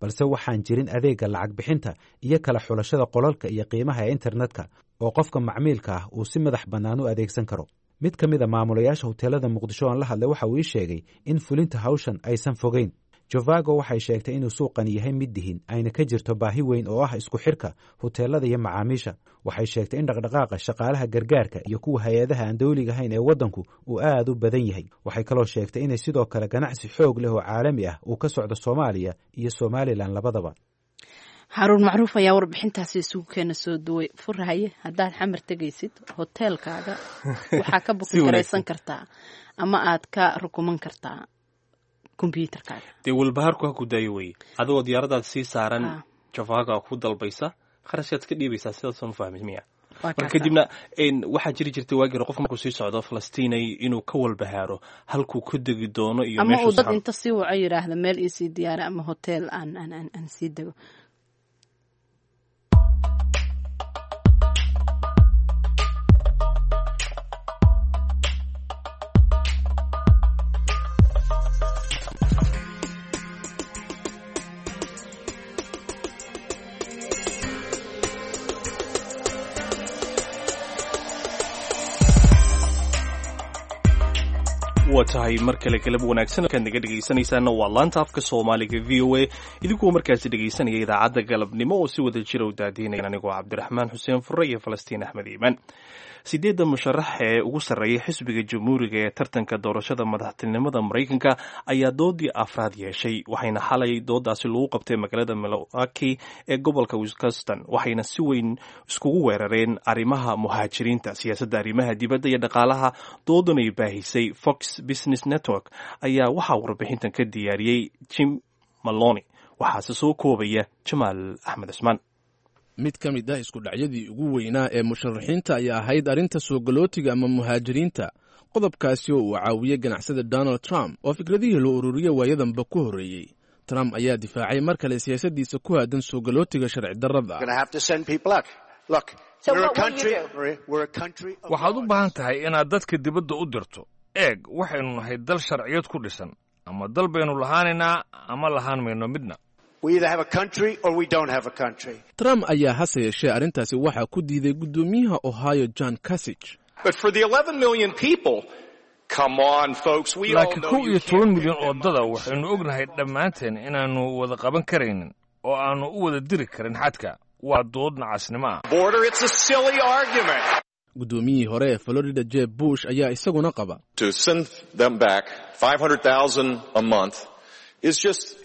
Balse waxaan jirin adeegga lacag bixinta iyo kala xulashada qolalka iyo qiimaha ee internetka oo qofka macmiilka ah uu si madax bannaan u adeegsan karo. Mid ka mid a maamulayaasha hoteelada Muqdisho aan la hadlay waxa uu ii sheegay in fulinta hawshan aysan fogeyn. Jovago waxay sheegtay inuu suuqan yahay mid dihin, ayna ka jirto baahi weyn oo ah isku xirka hoteelada iyo macaamiisha. Waxay sheegtay in dhaqdhaqaaqa shaqaalaha gargaarka iyo kuwa hay-adaha aan dowliga ahayn ee waddanku uu aad u badan yahay. Waxay kaloo sheegtay inay sidoo kale ganacsi xoog leh oo caalami ah uu ka socdo Soomaaliya iyo Somalilan labadaba. Xaruun Macruuf ayaa warbixintaasi isugu keena soo duway. Furhaye, haddaad Xamar tegaysid, hoteelkaaga waxaa ka buki karaysan kartaa ama aad ka rukuman kartaa kombyuutarkaaga. Dee walbahaarku ha ku daayo weye, adigoo diyaaradaad sii saaran Jovago ku dalbaysa, kharashkaad iska dhiibaysaa, sidaasaan fahmay miya? Marka kadibna waxaa jiri jirtay waagii hore qofka markuu sii socdo Falastiinay inuu ka walbahaaro halkuu ku degi doono iyo ama uu dad inta sii waco yidhaahda meel iisii diyaara ama hotel aan aan aan aan sii dego. Waa tahay mar kale galab wanaagsan kaad naga dhegaysanaysaana waa laanta afka Soomaaliga V O A, idinkoo markaasi dhegaysanaya idaacadda galabnimo oo si wada jira u daadiinaya anigoo Cabdiraxmaan Xuseen Furre iyo Falastiin Axmed Iimaan. Sideedda musharax ee ugu sarreeyay xisbiga Jamhuuriga ee tartanka doorashada madaxtinimada Maraykanka ayaa doodii afraad yeeshay, waxayna xalay doodaasi lagu qabtay magaalada Milwaukee ee gobolka Wisconsin, waxayna si weyn iskugu weerareen arrimaha muhaajiriinta, siyaasadda arrimaha dibadda iyo dhaqaalaha. Doodan ay baahisay Fox Business Network ayaa waxaa warbixintan ka diyaariyey Jim Malone, waxaase soo koobaya Jamaal Axmed Cusmaan. Mid ka mid ah isku dhacyadii ugu weynaa ee musharaxiinta ayaa ahayd arrinta soo galootiga ama muhaajiriinta, qodobkaasi oo uu caawiyey ganacsada Donald Trump oo fikradihii loo ururiyey waayadanba ku horreeyey. Trump ayaa difaacay mar kale siyaasaddiisa ku aadan soo galootiga sharci darrada. Waxaad u baahan tahay inaad dadka dibadda u dirto. Eeg, waxaynu nahay dal sharciyad ku dhisan, ama dal baynu lahaanaynaa ama lahaan mayno midna. Trump ayaa hase yeeshee arrintaasi waxaa ku diiday guddoomiyaha Ohio John Kasich. But for the eleven million people Laakiin kow iyo toban milyan oo dada waxaynu ognahay dhammaanteen inaannu wada qaban karaynin oo aannu u wada diri karin xadka. Waa dood nacasnimo ah. Guddoomiyihii hore ee Florida Jeb Bush ayaa isaguna qaba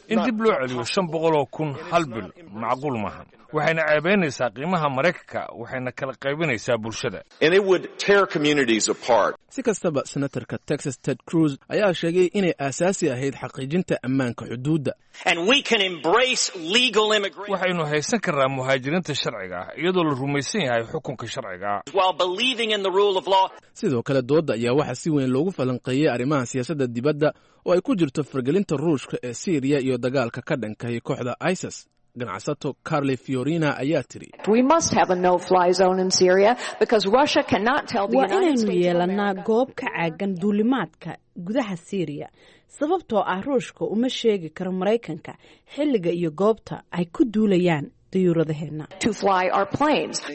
In dib loo celiyo shan boqol oo kun hal bil macquul maaha. Waxayna ceebaynaysaa qiimaha Maraykanka, waxayna kala qaybinaysaa bulshada. Si kastaba, senatarka Texas Ted Cruz ayaa sheegay inay aasaasi ahayd xaqiijinta ammaanka xuduudda. Waxaynu haysan karnaa muhaajiriinta sharciga ah iyadoo la rumaysan yahay xukunka sharciga ah. Sidoo kale, doodda ayaa waxaa si weyn loogu falanqeeyey arrimaha siyaasadda dibadda oo ay ku jirto fargelinta Ruushka ee Siiriya iyo dagaalka ka dhankay kooxda ISIS. Ganacsato Carly Fiorina ayaa tiri: Waa inaynu yeelannaa goob ka caagan duulimaadka gudaha Siiriya, sababtoo ah Ruushka uma sheegi karo Maraykanka xilliga iyo goobta ay ku duulayaan dayuuradaheenna.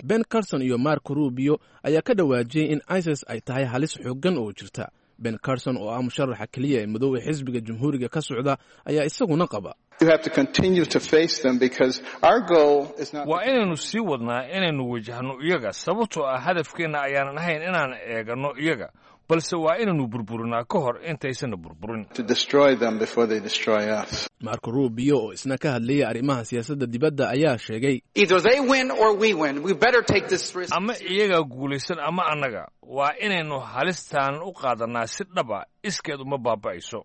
Ben Carson iyo Marco Rubio ayaa ka dhawaajiyey in ISIS ay tahay halis xooggan oo jirta. Ben Carson oo ah musharaxa keliya ee madow ee xisbiga Jamhuuriga ka socda ayaa isaguna qaba: Waa inaynu sii wadnaa inaynu wajahno iyaga, sababtoo ah hadafkeenna ayaanan ahayn inaan eeganno iyaga, balse waa inaynu burburinaa ka hor intaysanna burburin. Marco Rubio oo isna ka hadlayay arrimaha siyaasadda dibadda ayaa sheegay: Ama iyagaa guulaysan ama annaga. Waa inaynu halistan u qaadannaa si dhaba. Iskeed uma baaba'ayso.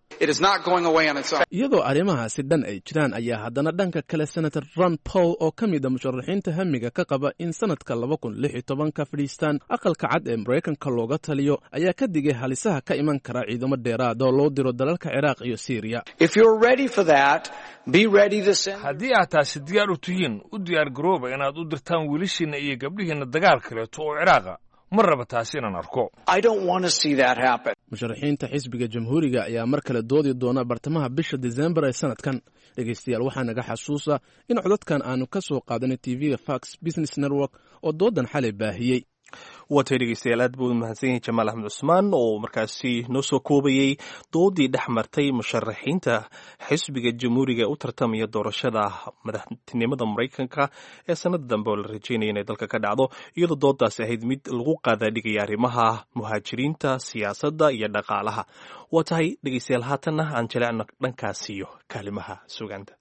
Iyadoo arrimahaasi dhan ay jiraan ayaa haddana dhanka kale Senator Ron Paul oo ka mid a musharaxiinta hamiga ka qaba in sanadka laba kun lix iyo tobanka fadhiistaan Aqalka Cad ee Maraykanka looga taliyo ayaa ka digay halisaha ka iman kara ciidamo dheeraad oo loo diro dalalka Ciraaq iyo Siiriya. Haddii aad taasi diyaar u tihiin, u diyaar garooba inaad u dirtaan wiilashiinna iyo gabdhihiinna dagaal kaleeto oo Ciraaqa. Ma raba taasi inaan arko. Musharaxiinta xisbiga Jamhuuriga ayaa mar kale doodi doona bartamaha bisha Disembar ee sanadkan. Dhegaystayaal, waxaa naga xasuusa in codadkan aanu ka soo qaadanay T V-ga Fox Business Network oo doodan xalay baahiyey. Waatay dhegeystayaal, aad buu mahadsan yahay Jamaal Axmed Cusmaan oo markaasi noo soo koobayey doodii dhex martay musharaxiinta xisbiga Jamhuuriga u tartamaya doorashada madaxtinimada Maraykanka ee sanada dambe oo la rajeynaya inay dalka ka dhacdo, iyadoo doodaasi ahayd mid lagu qaadaadhigaya arrimaha muhaajiriinta, siyaasadda iyo dhaqaalaha. Waa tahay dhegeystayaal, haatanna aan jaleecno dhankaasiyo kaalimaha sugaanta.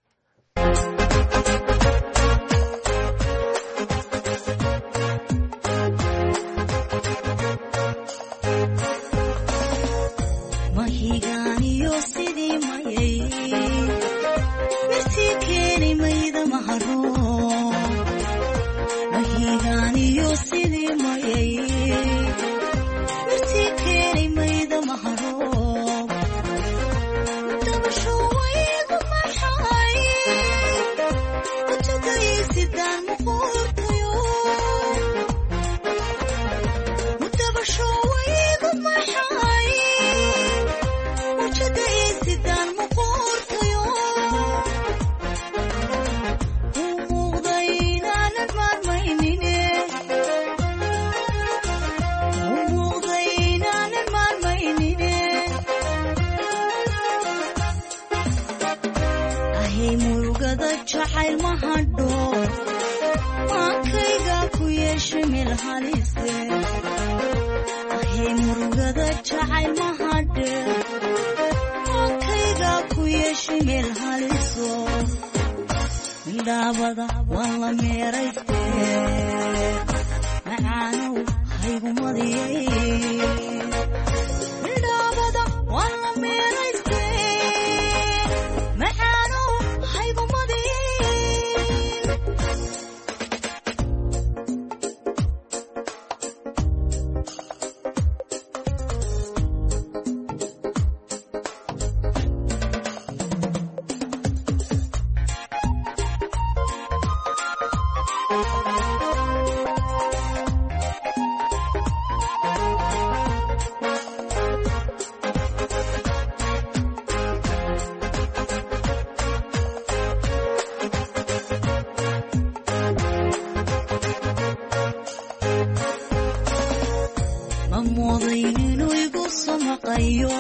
maqayo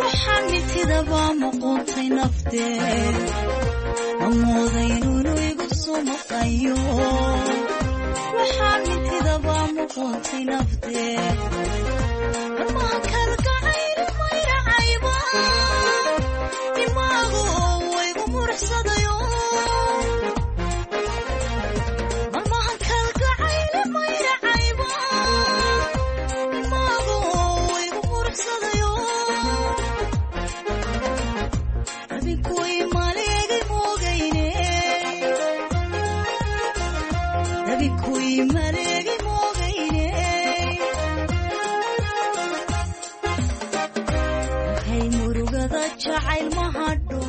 waxaan mintidaba muquntay naftee mamooday inuu igu soo maqayo waxaan mintidaba muquntay naftee marmaha kalgacayl mayracayba dimaagu waygu murxsadayo marmaha kalgacayl mayracayba dimaagu waygu murxsadayo dabinkuy maleegay moogayne dabinkuy maleegay moogayne mankay murugada jacayl ma hadho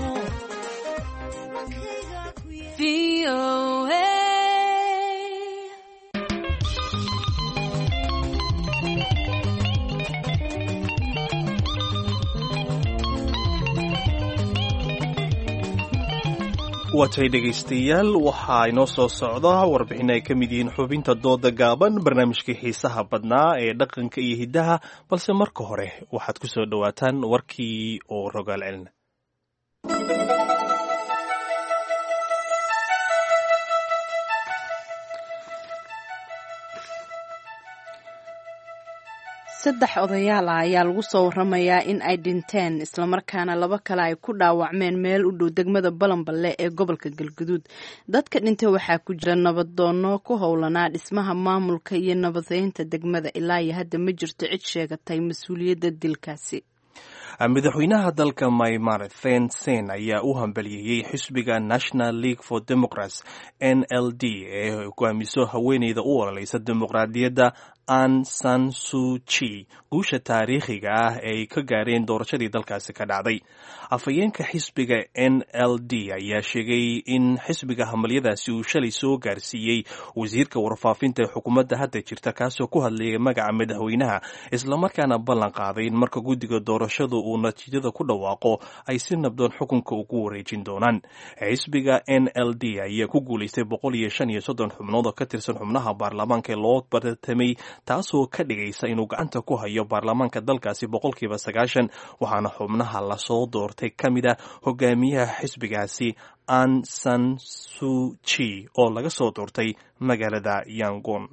Waatay dhegaystayaal, waxaa inoo soo socda warbixin ay ka mid yihiin xubinta dooda gaaban, barnaamijkii xiisaha badnaa ee dhaqanka iyo hiddaha, balse marka hore waxaad ku soo dhowaataan warkii oo rogaal celina. Saddex odayaal ah ayaa lagu soo waramayaa in ay dhinteen islamarkaana laba kale ay ku dhaawacmeen meel u dhow degmada Balanballe ee gobolka Galguduud. Dadka dhintay waxaa ku jira nabaddoonno ku howlanaa dhismaha maamulka iyo nabadeynta degmada. Ilaa iyo hadda ma jirto cid sheegatay mas-uuliyadda dilkaasi. Madaxweynaha dalka Myanmar Thein Sein ayaa u hambaliyeeyey xisbiga National League for Democrats N L D ee hogaamiso haweeneyda u ololeysa dimuqraadiyadda Aung San Suu Kyi guusha taariikhiga ah ee ay ka gaareen doorashadii dalkaasi ka dhacday. Afhayeenka xisbiga N L D ayaa sheegay in xisbiga hambalyadaasi uu shalay soo gaarsiiyey wasiirka warfaafinta ee xukuumadda hadda jirta, kaasoo ku hadlayay magaca madaxweynaha, islamarkaana ballan qaaday in marka guddiga doorashadu uu natiijada ku dhawaaqo ay si nabdoon xukunka ugu wareejin doonaan. Xisbiga N L D ayaa ku guulaystay boqol iyo shan iyo soddon xubnood oo ka tirsan xubnaha baarlamaanka ee loo bartamay, taasoo ka dhigaysa inuu gacanta ku hayo baarlamaanka dalkaasi boqolkiiba sagaashan, waxaana xubnaha lasoo doortay ka mid ah hogaamiyaha xisbigaasi Aung San Suu Kyi oo laga soo doortay magaalada Yangon.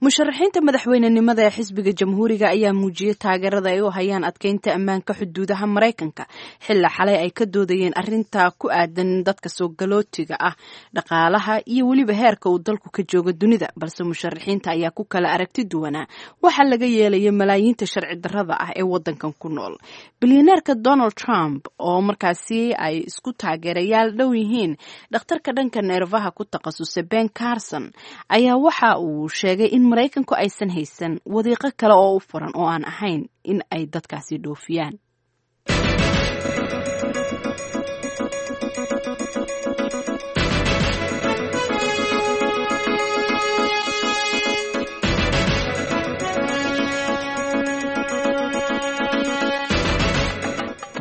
Musharaxiinta madaxweynenimada ee xisbiga Jamhuuriga ayaa muujiyey taageerada ay u hayaan adkeynta ammaanka xuduudaha Maraykanka xilla xalay ay ka doodayeen arrinta ku aadan dadka soo galootiga ah, dhaqaalaha iyo weliba heerka uu dalku ka joogo dunida. Balse musharaxiinta ayaa ku kala aragti duwanaa waxaa laga yeelaya malaayiinta sharci darrada ah ee wadankan ku nool. Bilyaneerka Donald Trump oo markaasi ay isku taageerayaal dhow yihiin dhakhtarka dhanka neerfaha ku takhasusay Ben Carson ayaa waxa uu sheegay in Maraykanku aysan haysan wadiiqo kale oo u furan oo aan ahayn in ay dadkaasi dhoofiyaan.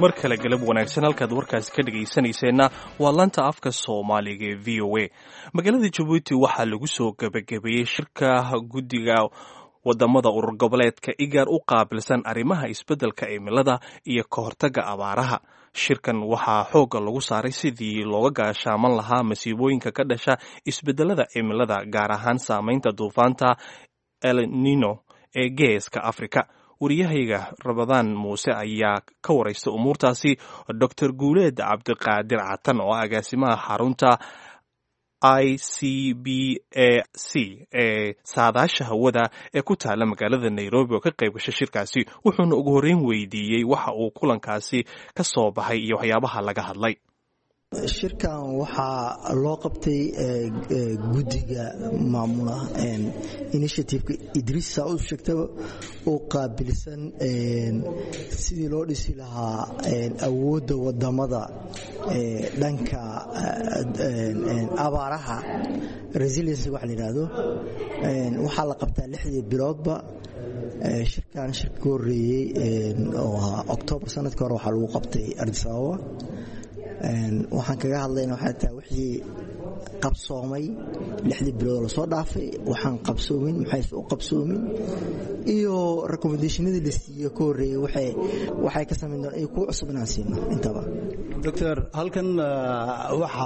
Mar kale galab wanaagsan, halkaad warkaasi ka dhegaysanayseena waa laanta afka Soomaaliga ee V O A. Magaalada Jabuuti waxaa lagu soo gebagabeeyey shirka guddiga wadamada urur goboleedka igaar u qaabilsan arrimaha isbeddelka cimilada iyo ka hortagga abaaraha. Shirkan waxaa xoogga lagu saaray sidii looga gaashaaman lahaa masiibooyinka ka dhasha isbeddelada cimilada, gaar ahaan saameynta duufaanta El Nino ee geeska Afrika. Wariyahayga Rabadaan Muuse ayaa ka waraysta umuurtaasi Doctor Guuleed Cabdiqaadir Catan oo ah agaasimaha xarunta I C B A C ee saadaasha hawada ee ku taala magaalada Nairobi oo ka qayb gashay shirkaasi, wuxuuna ugu horreyn weydiiyey waxa uu kulankaasi ka soo baxay iyo waxyaabaha laga hadlay. Shirkan waxaa loo qabtay guddiga maamula initiativeka Idriis saa u sheegtaba oo qaabilsan sidii loo dhisi lahaa awoodda wadamada dhanka abaaraha, resiliency waxa la yidhaahdo. Waxaa la qabtaa lixdii biloodba. Shirkan shirka ka horreeyey oo ahaa Octoobar sanadka hore waxaa lagu qabtay Addis Ababa. Waxaan kaga hadlayna waxay tahay wixii Qabsoomay lixdii bilood lasoo dhaafay, waxaan qabsoomin, maxayse u qabsoomin, iyo recommendationadii la siiye ka horreeyey waxay ka samayn doonaan iyo kuwa cusub inaan siino intaba. Doctor, halkan waxa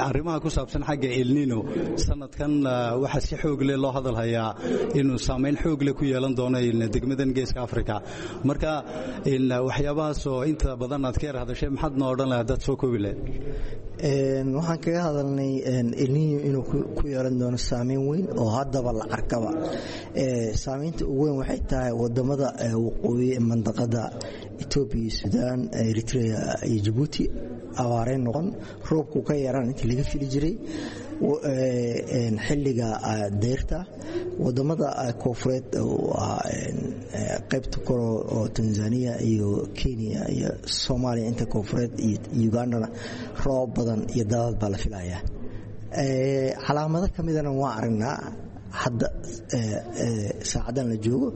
arrimaha ku saabsan xagga El Nino sanadkan waxaa si xoog leh loo hadal hayaa inuu saameyn xoog leh ku yeelan doono degmadan Geeska Africa. Marka waxyaabahaasoo inta badan aad ka yar hadashay, maxaad noo odhan lahayd dad soo koobi lahayd? Waxaan kaga hadalnay El Nino inuu ku yeelan doono saameyn weyn oo haddaba la arkaba. Saameynta ugu weyn waxay tahay wadamada waqooyi ee mandaqada, Etoobiya iyo Suudaan, Eritrea iyo Jabuuti, abaareen noqon, roobku ka yaraan intii laga fili jiray xilliga deyrta. Wadamada koonfureed, qaybta kale oo Tanzania iyo Kenya iyo Soomaaliya inta koonfureed iyo Ugandana, roob badan iyo daadad baa la filayaa. Calaamado ka midana waa aragnaa hadda saacadan la joogo.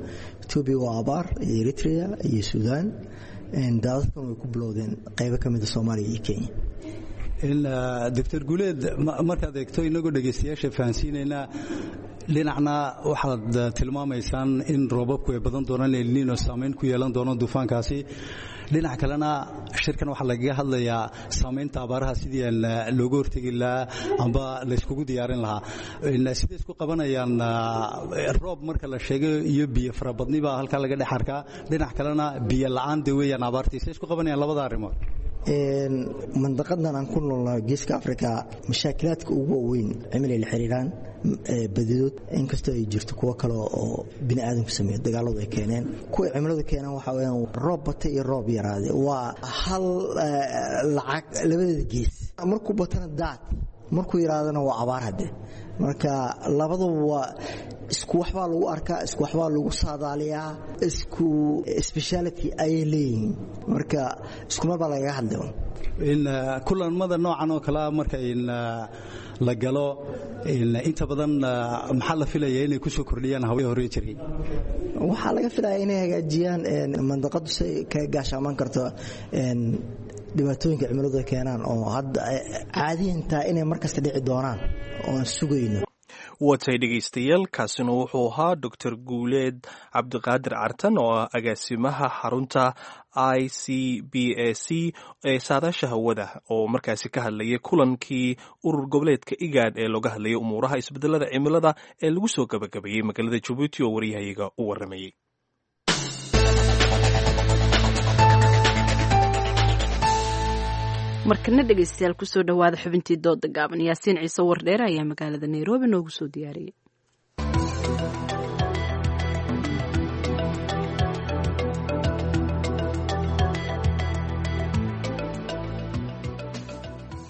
Etoobiya waa abaar, iyo Eritrea iyo Suudaan. Daadadkan way ku bilowdeen qaybo ka mida Soomaaliya iyo Kenya. Doctor Guuleed, markaad eegto, inagoo dhegaystayaasha fahansiinaynaa, dhinacna waxaad tilmaamaysaan in roobabku ay badan doonaan, El Nino saamayn ku yeelan doono duufaankaasi. Dhinac kalena shirkan waxaa lagaga hadlayaa saamaynta abaaraha, sidii looga hortegi lahaa amba layskugu diyaarin lahaa. Siday isku qabanayaan roob marka la sheego iyo biyo farabadni baa halkaa laga dhex arkaa, dhinac kalena biyo la'aan de weeyaan abaartii? Siday isku qabanayaan labada arrimood? Mandaqadan aan ku noolnahay, Geeska Africa, mashaakilaadka ugu waaweyn cimilay la xiriiraan badidood, inkastoo ay jirto kuwo kale oo bini aadamku sameeyo, dagaaladu ay keeneen. Kuwa cimiladu keeneen waxaa weyaan roob batay iyo roob yaraaday. Waa hal lacag labadeeda gees. Markuu batana daad, markuu yaraadana waa abaar. Hadde marka labaduba waa isku waxbaa lagu arkaa, isku waxbaa lagu saadaaliyaa, isku speciality ayay leeyihiin. Marka isku mar baa lagaga hadlay. Kulamada noocan oo kalea marka la galo, inta badan maxaa la filaya inay kusoo kordhiyaan hawlihii hore jiray? Waxaa laga filaya inay hagaajiyaan mandaqadu si ay kaga gaashaaman karto dhibaatooyinka cimiladu ay keenaan, oo hadda caadiyantaa inay markasta dhici doonaan oo aan sugayno. Watay dhegaystayaal, kaasina wuxuu ahaa Doctor Guuleed Cabdiqaadir Cartan oo ah agaasimaha xarunta I C B A C ee saadaasha hawada, oo markaasi ka hadlayay kulankii urur goboleedka IGAD ee looga hadlayay umuuraha isbedelada cimilada ee lagu soo gabagabeeyey magaalada Jabuuti, oo waryahayaga u waramayey. Markana dhegaystayaal, kusoo dhawaada xubintii dooda gaaban. Yaasiin Ciise Wardheere ayaa magaalada Nairobi noogu soo diyaariyey.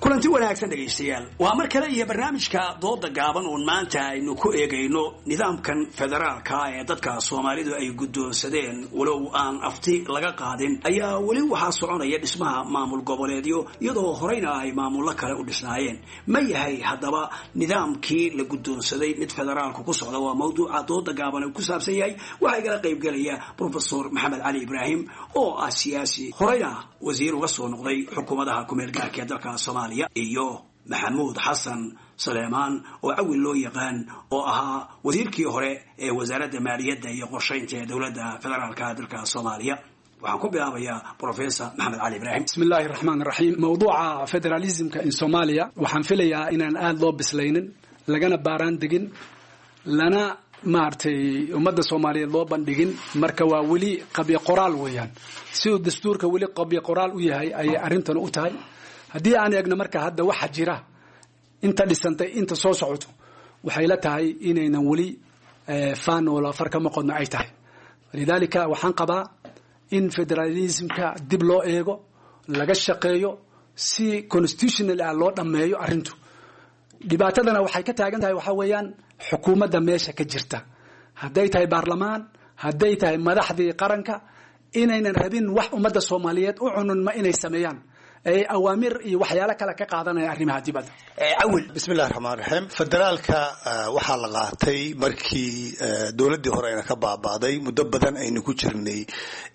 Kulanti wanaagsan dhegaystayaal, waa mar kale iyo barnaamijka dooda gaaban oon maanta aynu ku eegayno nidaamkan federaalka ee dadka Soomaalidu ay guddoonsadeen, walow aan afti laga qaadin. Ayaa weli waxaa soconaya dhismaha maamul goboleedyo, iyadoo horeyna ay maamullo kale u dhisnaayeen. Ma yahay haddaba nidaamkii la guddoonsaday mid federaalku ku socda? Waa mawduuca dooda gaaban uu ku saabsan yahay. Waxaa igala qaybgelaya Professor Maxamed Cali Ibraahim oo ah siyaasi, horeyna wasiir uga soo noqday xukuumadaha kumeel gaarka ee dalka Soomaaliya, iyo Maxamuud Xasan Saleemaan oo Cawil loo yaqaan, oo ahaa wasiirkii hore ee wasaaradda maaliyadda iyo qorshaynta ee dowladda federaalka dalka Soomaaliya. Waxaan ku bilaabayaa Professor Maxamed Cali Ibraahim. Bismi illaahi raxmaan raxiim. Mawduuca federalismka in Soomaaliya waxaan filayaa inaan aada loo bislaynin, lagana baaraan degin, lana maaragtay ummadda Soomaaliyeed loo bandhigin. Marka waa weli qabyo qoraal weeyaan. Siduu dastuurka weli qabyo qoraal u yahay ayay arrintan u tahay. Haddii aan eegno marka hadda waxa jira, inta dhisantay, inta soo socoto, waxay la tahay inaynan weli faan wala far kama qodno ay tahay. Lidaalika waxaan qabaa in federalismka dib loo eego, laga shaqeeyo, si constitutional ah loo dhammeeyo arrintu. Dhibaatadana waxay ka taagan tahay waxaa weeyaan xukuumadda meesha ka jirta, hadday tahay baarlamaan, hadday tahay madaxdii qaranka, inaynan rabin wax ummadda Soomaaliyeed u cunun ma inay sameeyaan. Ay awaamir iyo waxyaalo kale ka qaadanaya arrimaha dibadda. Cawil. Bismillahi raxmaan raxiim. Federaalka waxaa la qaatay markii dowladdii hore ayna ka baaba'day, muddo badan aynu ku jirnay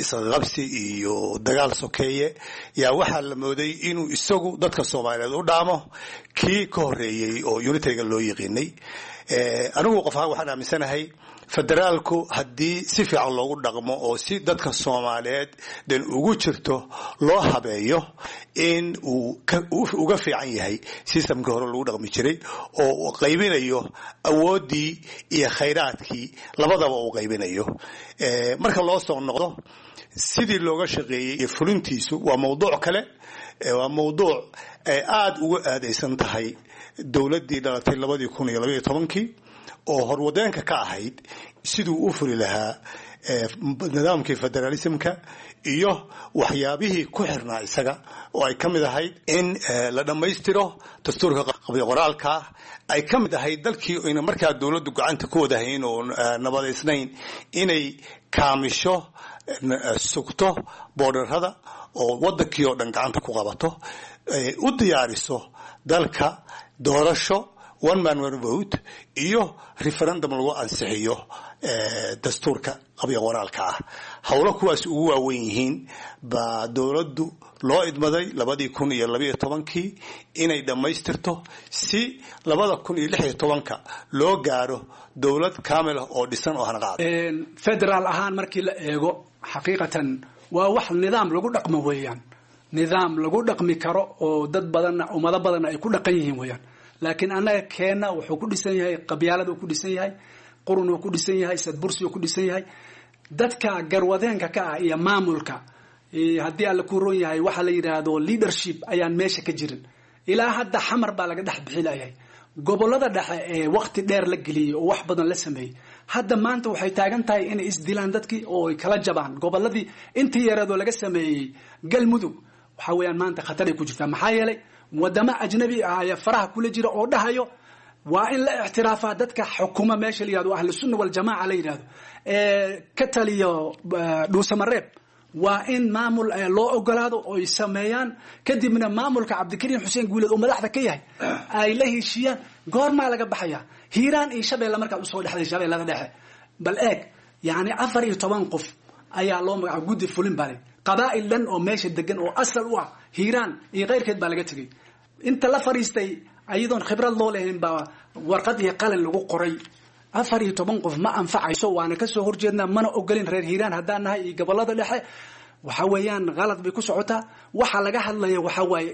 isqabsi iyo dagaal sokeeye. Yaa waxaa la mooday inuu isagu dadka Soomaaliyeed u dhaamo kii ka horreeyey oo unitariga loo yiqiinay. Anigu qof ahaan waxaan aaminsanahay federaalku haddii si fiican loogu dhaqmo oo si dadka Soomaaliyeed dan ugu jirto loo habeeyo in uu uga fiican yahay systemkii hore lagu dhaqmi jiray, oo uu qaybinayo awooddii iyo khayraadkii labadaba uu qaybinayo. Marka loo soo noqdo sidii looga shaqeeyey iyo fulintiisu waa mawduuc kale, waa mawduuc aada ugu aadaysan tahay dowladdii dhalatay labadii kun iyo labaiyo tobankii oo horwadeenka ka ahayd siduu u fuli lahaa nidaamkii federalismka iyo waxyaabihii ku xirnaa isaga, oo ay ka mid ahayd in la dhammaystiro dastuurka qoraalka, ay ka mid ahayd dalkii ayna markaa dowladdu gacanta ku wadahayn oo nabadaysnayn inay kaamisho sugto boodharada oo wadankii oo dhan gacanta ku qabato, u diyaariso dalka doorasho one man one vote iyo referendum lagu ansixiyo dastuurka qabyo qoraalka ah. Howlo kuwaas ugu waaweyn yihiin baa dowladdu loo idmaday labadii kun iyo labaiyo tobankii inay dhammaystirto si labada kun iyo lix iyo tobanka loo gaaro dowlad kaamil ah oo dhisan oo hanaqaad. Federaal ahaan markii la eego, xaqiiqatan waa wax nidaam lagu dhaqmo weeyaan, nidaam lagu dhaqmi karo oo dad badanna ummado badanna ay ku dhaqan yihiin weeyaan. Laakiin annaga keenna wuxuu ku dhisan yahay qabyaalad uu ku dhisan yahay, qurun uu ku dhisan yahay, sadbursi uu ku dhisan yahay. Dadka garwadeenka ka ah iyo maamulka, haddii alla ku roon yahay, waxa la yidhaahdo leadership ayaan meesha ka jirin. Ilaa hadda Xamar baa laga dhex bixilayahay. Gobolada dhexe ee waqti dheer la geliyey oo wax badan la sameeyey, hadda maanta waxay taagan tahay inay isdilaan dadkii oo ay kala jabaan goboladii intii yareedoo laga sameeyey. Galmudug waxa weeyaan maanta khatar ay ku jirtaa, maxaa yeelay wadamo ajnabi ah ayaa faraha kula jira oo dhahayo waa in la ictiraafaa dadka xukuma meesha la yihahdo Ahlu Sunna Waljamaaca la yidhahdo ee ka taliyo Dhuusamareeb. Waa in maamul loo ogolaado oo ay sameeyaan, kadibna maamulka Cabdikariim Xuseen Guuleed oo madaxda ka yahay ay la heshiiyaan. Goormaa laga baxaya? Hiiraan iyo Shabeelle markaad usoo dhexday, Shabeellada Dhexe bal eeg, yacni afar iyo toban qof ayaa loo magacaaba guddi fulin bale. Qabaa'il dhan oo meesha degan oo asal u ah Hiiraan iyo keyrkeed baa laga tegey. Inta la fadhiistay ayadoon khibrad loo lahayn baa warqad iyo qalin lagu qoray. Afar iyo toban qof ma anfacayso, waana kasoo horjeednaa, mana ogolin reer Hiiraan haddaan nahay iyo gobolada dhexe. Waxa weeyaan qalad bay ku socotaa. Waxa laga hadlaya waxa waaye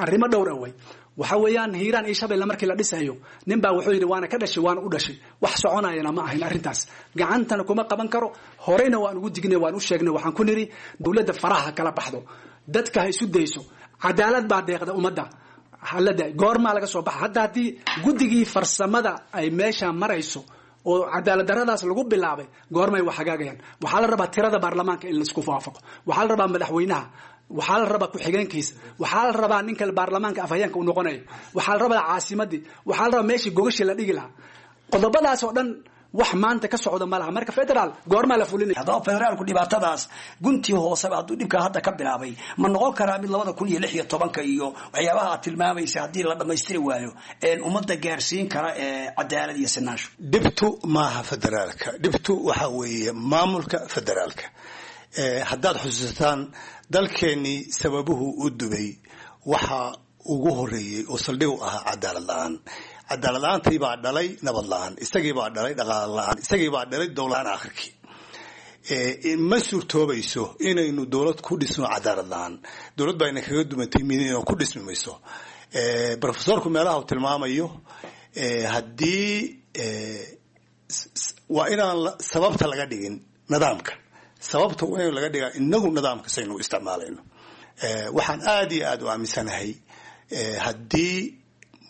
arrimo dhowr ah way. Waxa weeyaan Hiiraan iyo Shabeelle markii la dhisayo, nin baa wuxuu yidhi waana ka dhashay waana u dhashay. Wax soconayana ma ahayn arrintaas, gacantana kuma qaban karo. Horeyna waan ugu dignay, waan u sheegnay, waxaan ku nidhi dowladda faraha kala baxdo, dadka ha isu dayso, cadaalad baa deeqda ummadda halada. Goormaa laga soo baxa hadda haddii guddigii farsamada ay meesha marayso oo cadaalad daradaas lagu bilaabay? Goormay wax hagaagayaan? Waxaa la rabaa tirada baarlamaanka in laisku waafaqo, waxaa la rabaa madaxweynaha, waxaa la rabaa ku-xigeenkiisa, waxaa la rabaa ninka baarlamaanka afhayeenka uu noqonayo, waxaa la rabaa caasimadii, waxaa la rabaa meeshii gogashii la dhigi lahaa. Qodobadaas oo dhan wax maanta ka socda ma laha. Marka federaal goormaa la fulinaya? Haddaba federaalku dhibaatadaas guntii hooseba hadduu dhibkaa hadda ka bilaabay, ma noqon karaa mid labada kun iyo lix iyo tobanka iyo waxyaabaha aad tilmaamaysa haddii la dhammaystiri waayo ummadda gaarsiin kara ee cadaalad iyo sinaansho? Dhibtu maaha federaalka, dhibtu waxaa weeye maamulka federaalka. Haddaad xusuusataan dalkeennii sababuhu u dubay waxaa ugu horeeyey oo saldhig u ahaa cadaalad la-aan. Cadaalad la-aantii baa dhalay nabad la-aan, isagii baa dhalay dhaqaale la-aan, isagii baa dhalay dowlad la-aan. Akhirkii ma suurtoobayso inaynu dowlad ku dhisno cadaalad la-aan. Dowlad baa ina kaga dumantay midino ku dhismi mayso. Profesorku meelaha uu tilmaamayo haddii waa inaan sababta laga dhigin nidaamka, sababta waa in laga dhigaa inagu nidaamka saynu isticmaalayno. Waxaan aada iyo aada u aaminsanahay haddii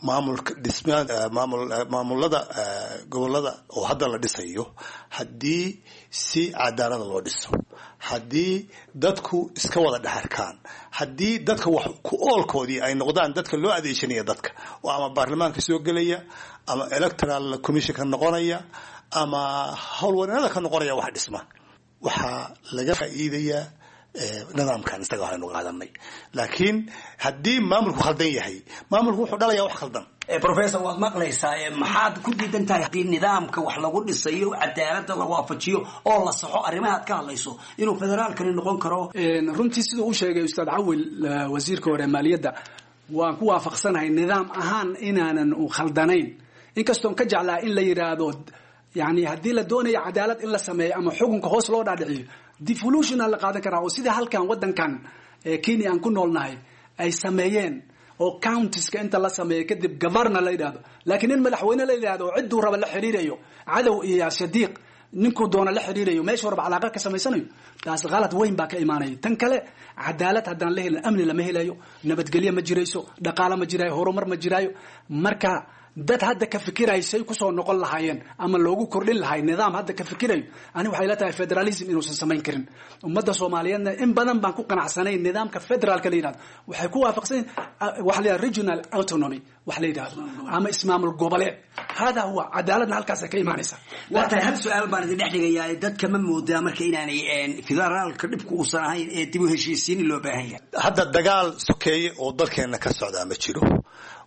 maamulka dhisma maamul maamulada gobolada oo hadda la dhisayo, haddii si cadaalada loo dhiso, haddii dadku iska wada dhexarkaan, haddii dadka wax ku oolkoodii ay noqdaan dadka loo adeegsanaya, dadka oo ama baarlamaanka soo gelaya ama electoral commission ka noqonaya ama howlwareennada ka noqonaya wax dhisma, waxaa laga faa'iidayaa Nidaamkan isaga waxaynu qaadanay, laakiin haddii maamulku khaldan yahay, maamulku wuxuu dhalayaa wax khaldan. Professor, waad maqlaysaa, maxaad ku diidan tahay haddii nidaamka wax lagu dhisayo cadaaladda la waafajiyo oo la saxo arrimahaad ka hadlayso inuu federaalkani noqon karo? Runtii siduu u sheegay Ustaad Cawil, wasiirka hore maaliyadda, waan ku waafaqsanahay nidaam ahaan inaanan u khaldanayn, inkastoon ka jeclaa in la yidhaahdo yani haddii la doonayo cadaalad in la sameeyo ama xukunka hoos loo dhaadhiciyo, devolution la qaadan karaa, oo sida halkan wadankan Kenya aan ku noolnahay ay sameeyeen oo counties-ka inta la sameeyo kadib governor la yidhaahdo. Laakiin in madaxweyne la yidhaahdo oo cidduu raba la xiriirayo, cadow iyo shadiiq ninkuu doona la xiriirayo, meeshuu raba calaaqa ka samaysanayo, taas qalad weyn baa ka imaanaya. Tan kale, cadaalad haddaan la helin amni lama helayo, nabadgelyo ma jirayso, dhaqaalo ma jiraayo, horumar ma jiraayo. Marka dad hadda ka fikirayo say kusoo noqon lahaayeen ama loogu kordhin lahay nidaam hadda ka fikirayo, ani waxay la tahay federalism inuusan samayn karin. Ummadda Soomaaliyeedna in badan baan ku qanacsanayn nidaamka federaalka la yidhahdo. Waxay ku waafaqsan waxa la yidhahdo regional autonomy wax la yidhahdo ama ismaamul goboleed. Hada huwa cadaaladna halkaasay ka imaanaysaa. Waa tahay, hal su-aal baan idin dhex dhigayaa. Dadka ma moodaa marka inaanay federaalka dhibku uusan ahayn ee dib u heshiisiin loo baahan yahay? Hadda dagaal sokeeye oo dalkeenna ka socdaa ma jiro.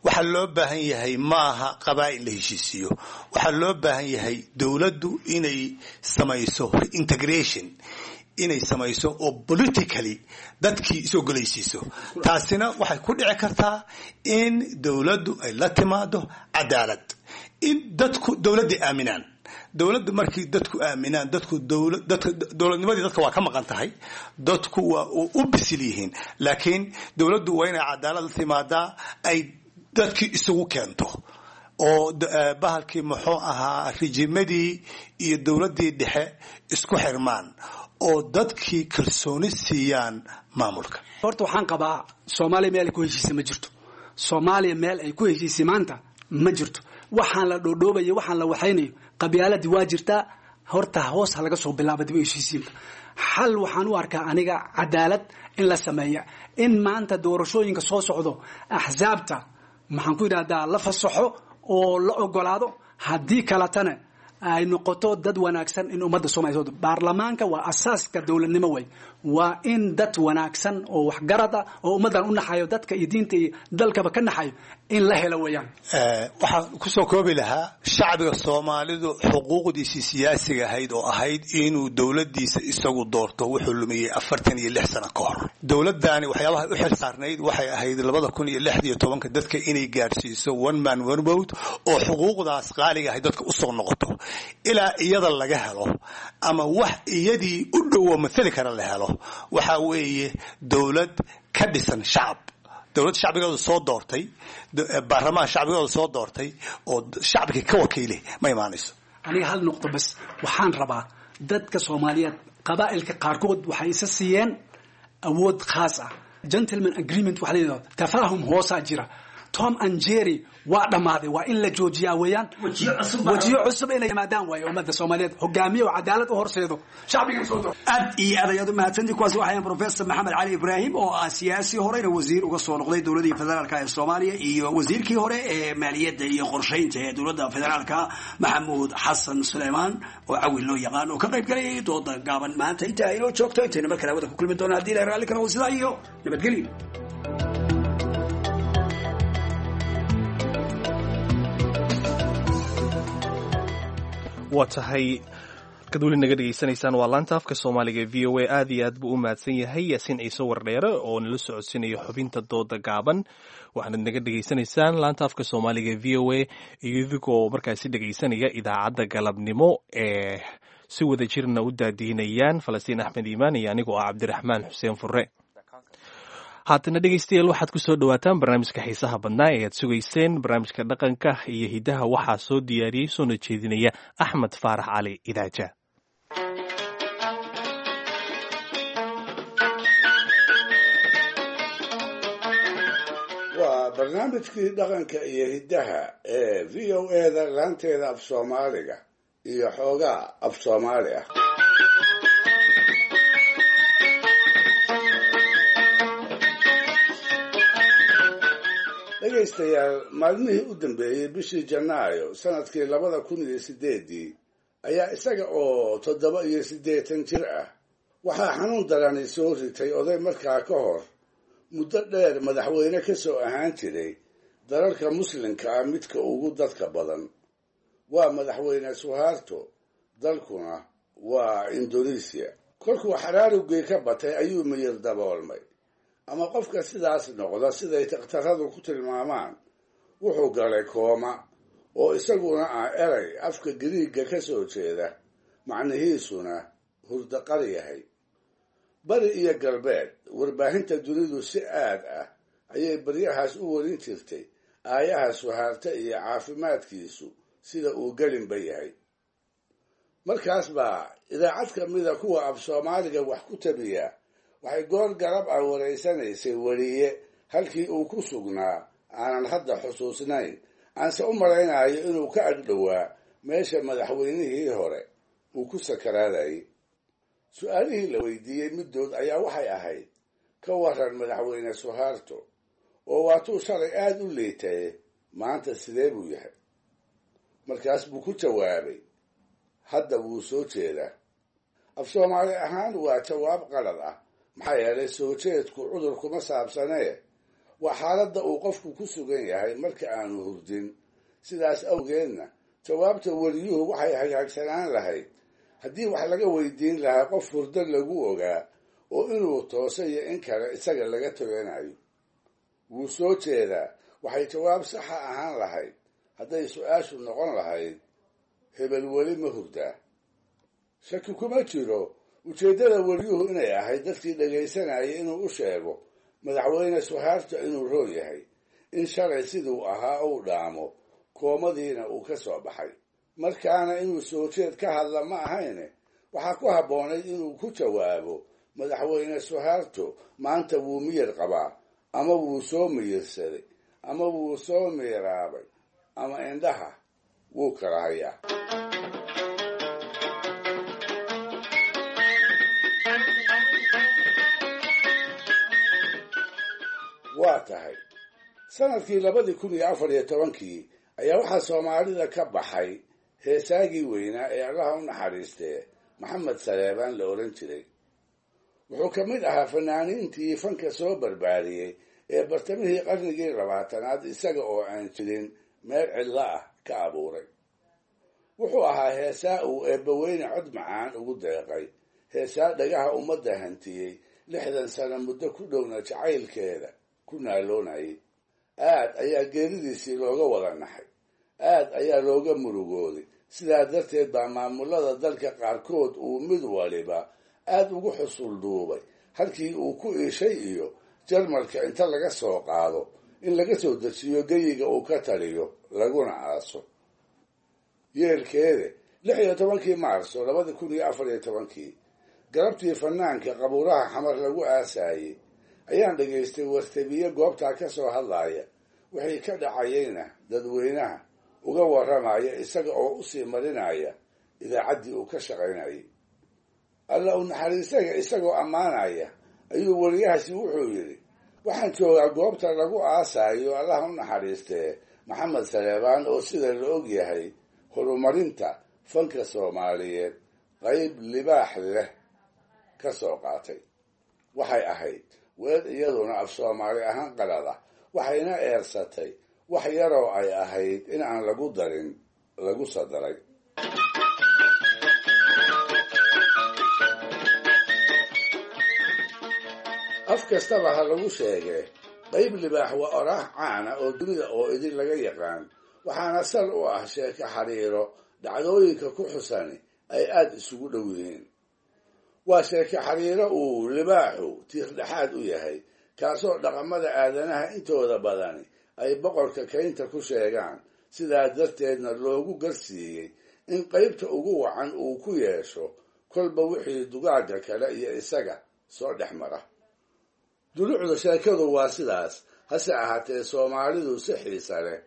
Waxaa loo baahan yahay maaha qabaa'il la heshiisiiyo. Waxaa loo baahan yahay dowladdu inay samayso integration, inay samayso oo politically dadkii is ogolaysiiso. Taasina waxay ku dhici kartaa in dowladdu ay la timaado cadaalad, in dadku dowladda aaminaan. Dowladdu markii dadku aaminaan, dadku dadka dowladnimadii dadka waa ka maqan tahay, dadku waa u bisil yihiin, laakiin dowladdu waa inay cadaalad la timaadaa, ay dadkii isugu keento oo bahalkii muxuu ahaa rijimadii iyo dowladdii dhexe isku xirmaan oo dadkii kalsooni siiyaan maamulka. Horta waxaan qabaa Soomaaliya meel ay ku heshiisay ma jirto. Soomaaliya meel ay ku heshiisay maanta ma jirto. Waxaan la dhoodhoobayo, waxaan la waxaynayo, qabyaaladii waa jirtaa. Horta hoos ha laga soo bilaaba dib u heshiisiinta. Xal waxaan u arkaa aniga cadaalad in la sameeya, in maanta doorashooyinka soo socdo axsaabta maxaan ku yidhahdaa la fasaxo oo la ogolaado, haddii kaletana ay noqoto dad wanaagsan in ummadda Soomaaliya. Baarlamaanka waa asaaska dowladnimo wey. Waa in dad wanaagsan oo waxgarad ah oo ummaddan u naxayo, dadka iyo diinta iyo dalkaba ka naxayo, in la helo weeyaan. Waxaan kusoo koobi lahaa, shacbiga Soomaalidu xuquuqdiisii siyaasiga ahayd oo ahayd inuu dowladdiisa isagu doorto wuxuu lumiyey afartan iyo lix sano ka hor. Dowladdaani waxyaabaha u xil saarnayd waxay ahayd labada kun iyo lix iyo tobanka dadka inay gaadhsiiso one man one vote oo xuquuqdaas qaaliga ahayd dadka usoo noqoto. Ilaa iyada laga helo ama wax iyadii u dhowo mathali kara la helo, waxaa weeye dowlad ka dhisan shacab, dowlad shacbigooda soo doortay, baarlamaan shacbigooda soo doortay oo shacbigii ka wakiile ma imaanayso. Aniga hal nuqdo bas waxaan rabaa. Dadka Soomaaliyeed qabaa'ilka qaarkood waxay isa siiyeen awood khaas ah, gentleman agreement waxa la yidhahdo, tafaahum hoosaa jira. Tom and Jerry waa dhammaaday, waa in la joojiyaa weeyaan. Wajiyo cusub inay yimaadaan waaye ummadda Soomaaliyeed hogaamiye oo cadaalad u horseedo shacbiga soo doorto. Aad iyo aad ayaad u mahadsantii. Kuwaas waxayan Professor Maxamed Cali Ibraahim oo ah siyaasi horeyna wasiir uga soo noqday dowladii federaalka ee Soomaaliya, iyo wasiirkii hore ee maaliyadda iyo qorshaynta ee dowladda federaalka, Maxamuud Xasan Suleymaan oo Cawil loo yaqaan, oo ka qayb galayay dooda gaaban maanta. Inta aynoo joogto intayna mar kale hawada ku kulmi doona haddii ilahay raalli ka noqdo, sidaa iyo nabadgelyo. Waa tahay, kad weli naga dhegaysanaysaan waa laanta afka Soomaaliga V O A. Aad iyo aad buu u mahadsan yahay Yaasiin Ciise Wardheere oo nala socodsiinaya xubinta dooda gaaban. Waxaanad naga dhegaysanaysaan laanta afka Soomaaliga V O A iyo idigoo markaasi dhegaysanaya idaacadda galabnimo ee si wada jirna u daadihinayaan Falastiin Axmed Iimaan iyo anigoo ah Cabdiraxmaan Xuseen Furre. Haatana dhegaystayaal, waxaad ku soo dhowaataan barnaamijka xiisaha badnaa ee aad sugayseen, barnaamijka dhaqanka iyo hidaha. Waxaa soo diyaariyey soona jeedinaya Axmed Faarax Cali Idaaja. Waa barnaamijkii dhaqanka iyo hiddaha ee V O A-da laanteeda af Soomaaliga iyo xoogaa af Soomaali ah. Dhegaystayaal, maalmihii u dambeeyey bishii Janaayo sanadkii labada kun iyo sideeddii ayaa isaga oo toddoba iyo siddeetan jir ah Waxaa xanuun darani soo ritay oday markaa ka hor muddo dheer madaxweyne ka soo ahaan jiray dalalka muslimka ah midka ugu dadka badan. Waa madaxweyne Suharto, dalkuna waa Indonesia. Kolkuu xaraarugii ka batay ayuu miyir daboolmay, ama qofka sidaas noqda siday takhtaradu ku tilmaamaan wuxuu galay kooma, oo isaguna ah erey afka Giriigga ka soo jeeda, macnihiisuna hurdaqar yahay. Bari iyo galbeed warbaahinta dunidu si aad ah ayay baryahaas u warin jirtay aayaha Suhaarta iyo caafimaadkiisu sida uu gelinba yahay. Markaas baa idaacad ka mida kuwa af Soomaaliga wax ku tabiya waxay goor garab ah wareysanaysay weriye halkii uu ku sugnaa aanan hadda xusuusnayn, aanse u malaynayo inuu ka agdhowaa meesha madaxweynihii hore uu ku sakaraadayay. Su-aalihii la weydiiyey middood ayaa waxay ahayd, ka waran madaxweyne Suharto oo waatuu shalay aada u liitaye, maanta sidee buu yahay? Markaas buu ku jawaabay, hadda wuu soo jeedaa. Af Soomaali ahaan waa jawaab qalad ah, maxaa yeelay soo jeedku cudur kuma saabsanee, waa xaaladda uu qofku ku sugan yahay marka aanu hurdin. Sidaas awgeedna jawaabta weriyuhu waxay hagaagsanaan lahayd haddii wax laga weydiin lahaa qof hurdo lagu ogaa oo inuu tooso iyo in kale isaga laga toganayo. Wuu soo jeedaa waxay jawaab saxa ahaan lahayd hadday su-aashu noqon lahayd, hebel weli ma hurdaa? Shaki kuma jiro ujeeddada weriyuhu inay ahayd dadkii dhagaysanayay inuu u sheego madaxweyne Suharto inuu roon yahay, in shalay siduu ahaa uu dhaamo, koomadiina uu ka soo baxay. Markaana inuu soo jeed ka hadla ma ahayne, waxaa ku habboonayd inuu ku jawaabo, madaxweyne Suharto maanta wuu miyir qabaa, ama wuu soo miyirsaday, ama wuu soo miiraabay, ama indhaha wuu kala hayaa. Waa tahay sanadkii labadii kun iyo afar iyo tobankii ayaa waxaa Soomaalida ka baxay heesaagii weynaa ee Allaha u naxariistee Maxamed Saleebaan la odhan jiray. Wuxuu ka mid ahaa fanaaniintii fanka soo barbaariyey ee bartamihii qarnigii labaatanaad isaga oo aan jirin meel cidlo ah ka abuuray. Wuxuu ahaa heesaa uu eebbaweyne cod macaan ugu deeqay, heesaa dhagaha ummadda hantiyey, lixdan sano muddo ku dhowna jacaylkeeda ku naaloonayay. Aad ayaa geeridiisii looga wada naxay, aad ayaa looga murugooday. Sidaa darteed baa maamulada dalka qaarkood uu mid waliba aad ugu xusul duubay halkii uu ku iishay iyo Jarmalka inta laga soo qaado in laga soo dejiyo geyiga uu ka taliyo laguna aaso. Yeelkeede lix iyo tobankii Maarso labadi kun iyo afar iyo tobankii galabtii fanaanka qabuuraha Xamar lagu aasaayey ayaan dhegaystay wartabiye goobtaa ka soo hadlaaya, wixii ka dhacayeyna dadweynaha uga warramaya isaga oo usii marinaya idaacaddii uu ka shaqaynayay. Alla u naxariistaga isagoo ammaanaya ayuu weriyahaasi wuxuu yidhi, waxaan joogaa goobta lagu aasaayo Allaha u naxariistee Maxamed Saleebaan oo sida la og yahay horumarinta fanka Soomaaliyeed qayb libaax leh ka soo qaatay. Waxay ahayd weer iyaduna af Soomaali ahaan qalad ah, waxayna eersatay wax yaroo ay ahayd in aan lagu darin lagu sadaray. Af kastaba ha lagu sheegee, qayb libaax waa oraah caana oo dunida oo idin laga yaqaan, waxaana sal u ah sheeko xariiro dhacdooyinka ku xusani ay aada isugu dhow yihiin. Waa sheeko xariiro uu libaaxu tiirdhexaad u yahay, kaasoo dhaqamada aadanaha intooda badani ay boqorka kaynta ku sheegaan, sidaa darteedna loogu garsiiyey in qaybta ugu wacan uu ku yeesho kolba wixii dugaagga kale iyo isaga soo dhex mara. Dulucda sheekadu waa sidaas, hase ahaatee Soomaalidu si xiisa leh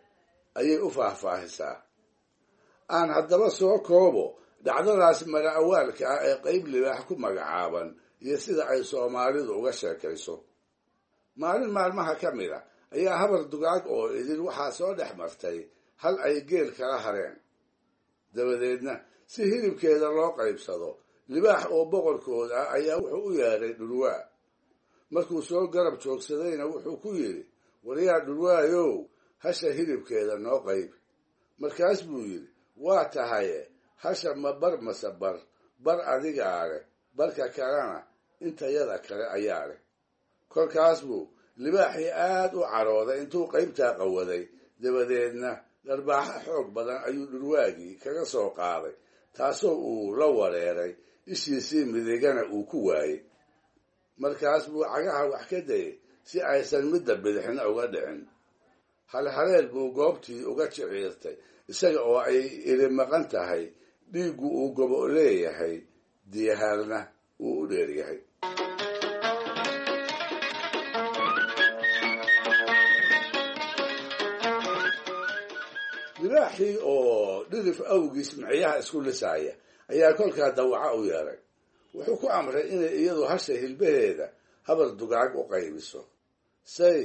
ayay u faahfaahisaa. Aan haddaba soo koobo dhacdadaas mala awaalka ah ee qayb libaax ku magacaaban iyo sida ay Soomaalidu uga sheekayso. Maalin maalmaha ka mid a ayaa habar dugaag oo idin waxaa soo dhex martay hal ay geel kala hareen. Dabadeedna si hilibkeeda loo qaybsado, Libaax oo boqorkood ah ayaa wuxuu u yeedhay dhurwaa. Markuu soo garab joogsadayna wuxuu ku yidhi, waryaa dhurwaayow, hasha hilibkeeda noo qayb. Markaas buu yidhi, waa tahaye, hasha ma bar mase bar, bar adigaa leh, barka kalena intayada kale ayaa leh. Kolkaas buu libaaxii aad u carooday intuu qaybtaa qawaday, dabadeedna dharbaaxo xoog badan ayuu dhurwaagii kaga soo qaaday, taasoo uu la wareeray, ishiisii midigana uu ku waayey. Markaas buu cagaha wax ka dayay si aysan midda bidixna uga dhicin. Halhaleel buu goobtii uga jiciirtay, isaga oo ay ili maqan tahay, dhiiggu uu gobo leeyahay, diyahaarna uu u dheeryahay. Libaaxii oo dhirif awgiis miciyaha isku lisaaya ayaa kolkaa dawaca u yeeray. Wuxuu ku amray inay iyadu hasha hilbaheeda habar dugaag u qaybiso. Say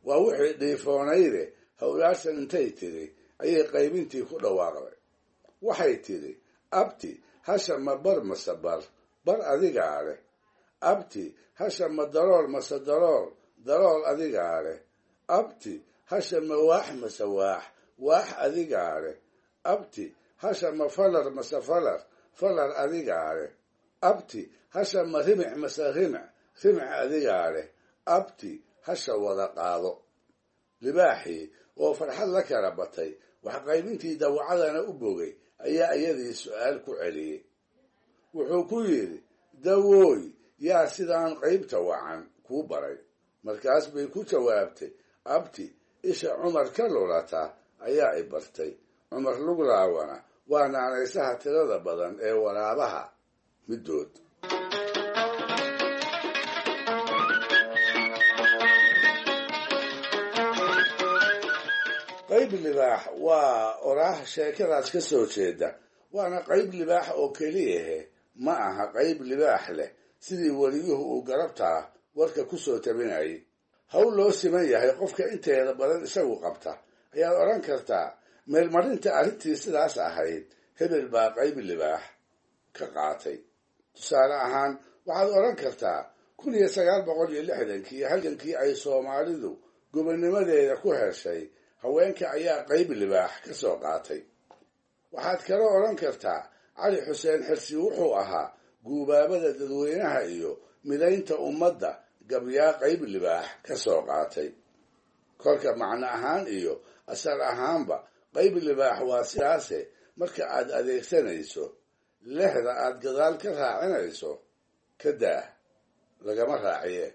waa wixii dhiifoonayde howlaarsan intay tidhi ayay qaybintii ku dhawaaqday. Waxay tidhi, abti hasha ma bar mase bar, bar adigaa leh. Abti hasha ma dalool mase dalool, dalool adigaa leh. Abti hasha ma waax mase waax, waax adigaa leh. Abti hasha ma falar mase falar, falar adigaa leh. Abti hasha ma rimic mase rimic, rimic adigaa leh. Abti hasha wada qaado. Libaaxii oo farxad la kala batay, wax qaybintii dawacadana u bogay, ayaa iyadii su'aal ku celiyey. Wuxuu ku yidhi, dawooy, yaa sidaan qaybta wacan kuu baray? Markaas bay ku jawaabtay, abti isha Cumar ka lulata ayaa i bartay. Cumar luglaawana waa naanaysaha tirada badan ee waraabaha middood. Qayb libaax waa oraah sheekadaas ka soo jeeda, waana qayb libaax oo keliyahe, ma aha qayb libaax leh sidii weliyuhu uu garabtaa warka ku soo tabinayay. Hawl loo siman yahay qofka inteeda badan isagu qabta ayaad odhan kartaa meelmarinta arrintii sidaas ahayd hebel baa qayb libaax ka qaatay. Tusaale ahaan waxaad odhan kartaa kun iyo sagaal boqol iyo lixdankii halgankii ay Soomaalidu gobonnimadeeda ku heshay haweenka ayaa qayb libaax ka soo qaatay. Waxaad kaloo odhan kartaa Cali Xuseen Xirsi wuxuu ahaa guubaabada dadweynaha iyo midaynta ummadda gabyaa qayb libaax ka soo qaatay. Kolka macno ahaan iyo asal ahaanba qayb libaax waa sidaase marka aad adeegsanayso lexda aad gadaal ka raacinayso ka daah, lagama raaciye.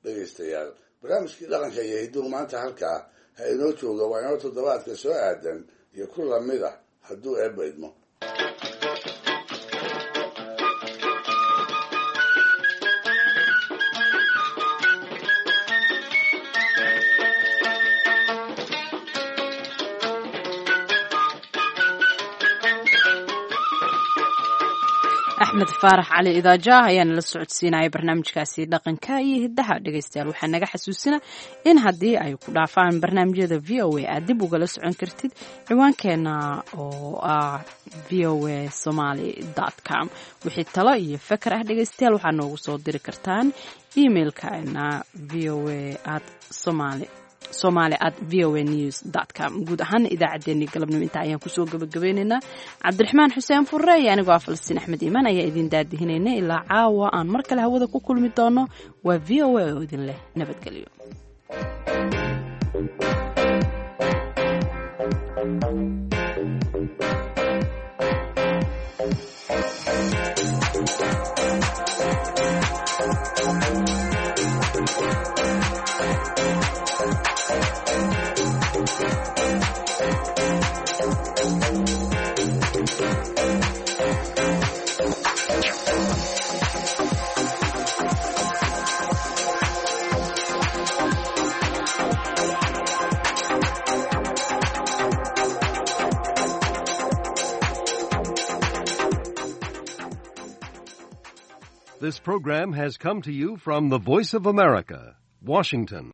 Dhegaystayaal, barnaamijkii dhaqanka iyo hidduhu maanta halkaa ha inoo jooga. Waa inoo toddobaadka soo aadan iyo ku lamid ah hadduu eebba idmo. Axmed Faarax Cali Idaajaah ayaana la socodsiinaya barnaamijkaasi dhaqanka iyo hiddaha. Dhegaystayaal, waxaa naga xasuusina in haddii ay ku dhaafaan barnaamijyada V O A aad dib ugala socon kartid ciwaankeena oo ah v o a somaly com. Wixii talo iyo fakar ah dhegaystayaal waxaa noogu soo diri kartaan emailkeena v o a at somali somali at v o a news dot com. Guud ahaan idaacaddeenii galabnimo intaa ayaan kusoo gabagabeynaynaa. Cabdiraxmaan Xuseen Furre iyo anigoo ah Falastiin Axmed Iimaan ayaa idin daadihinayna ilaa caawa aan mar kale hawada ku kulmi doono. Waa V O A oo idin leh nabadgelyo. This program has come to you from the Voice of America, Washington.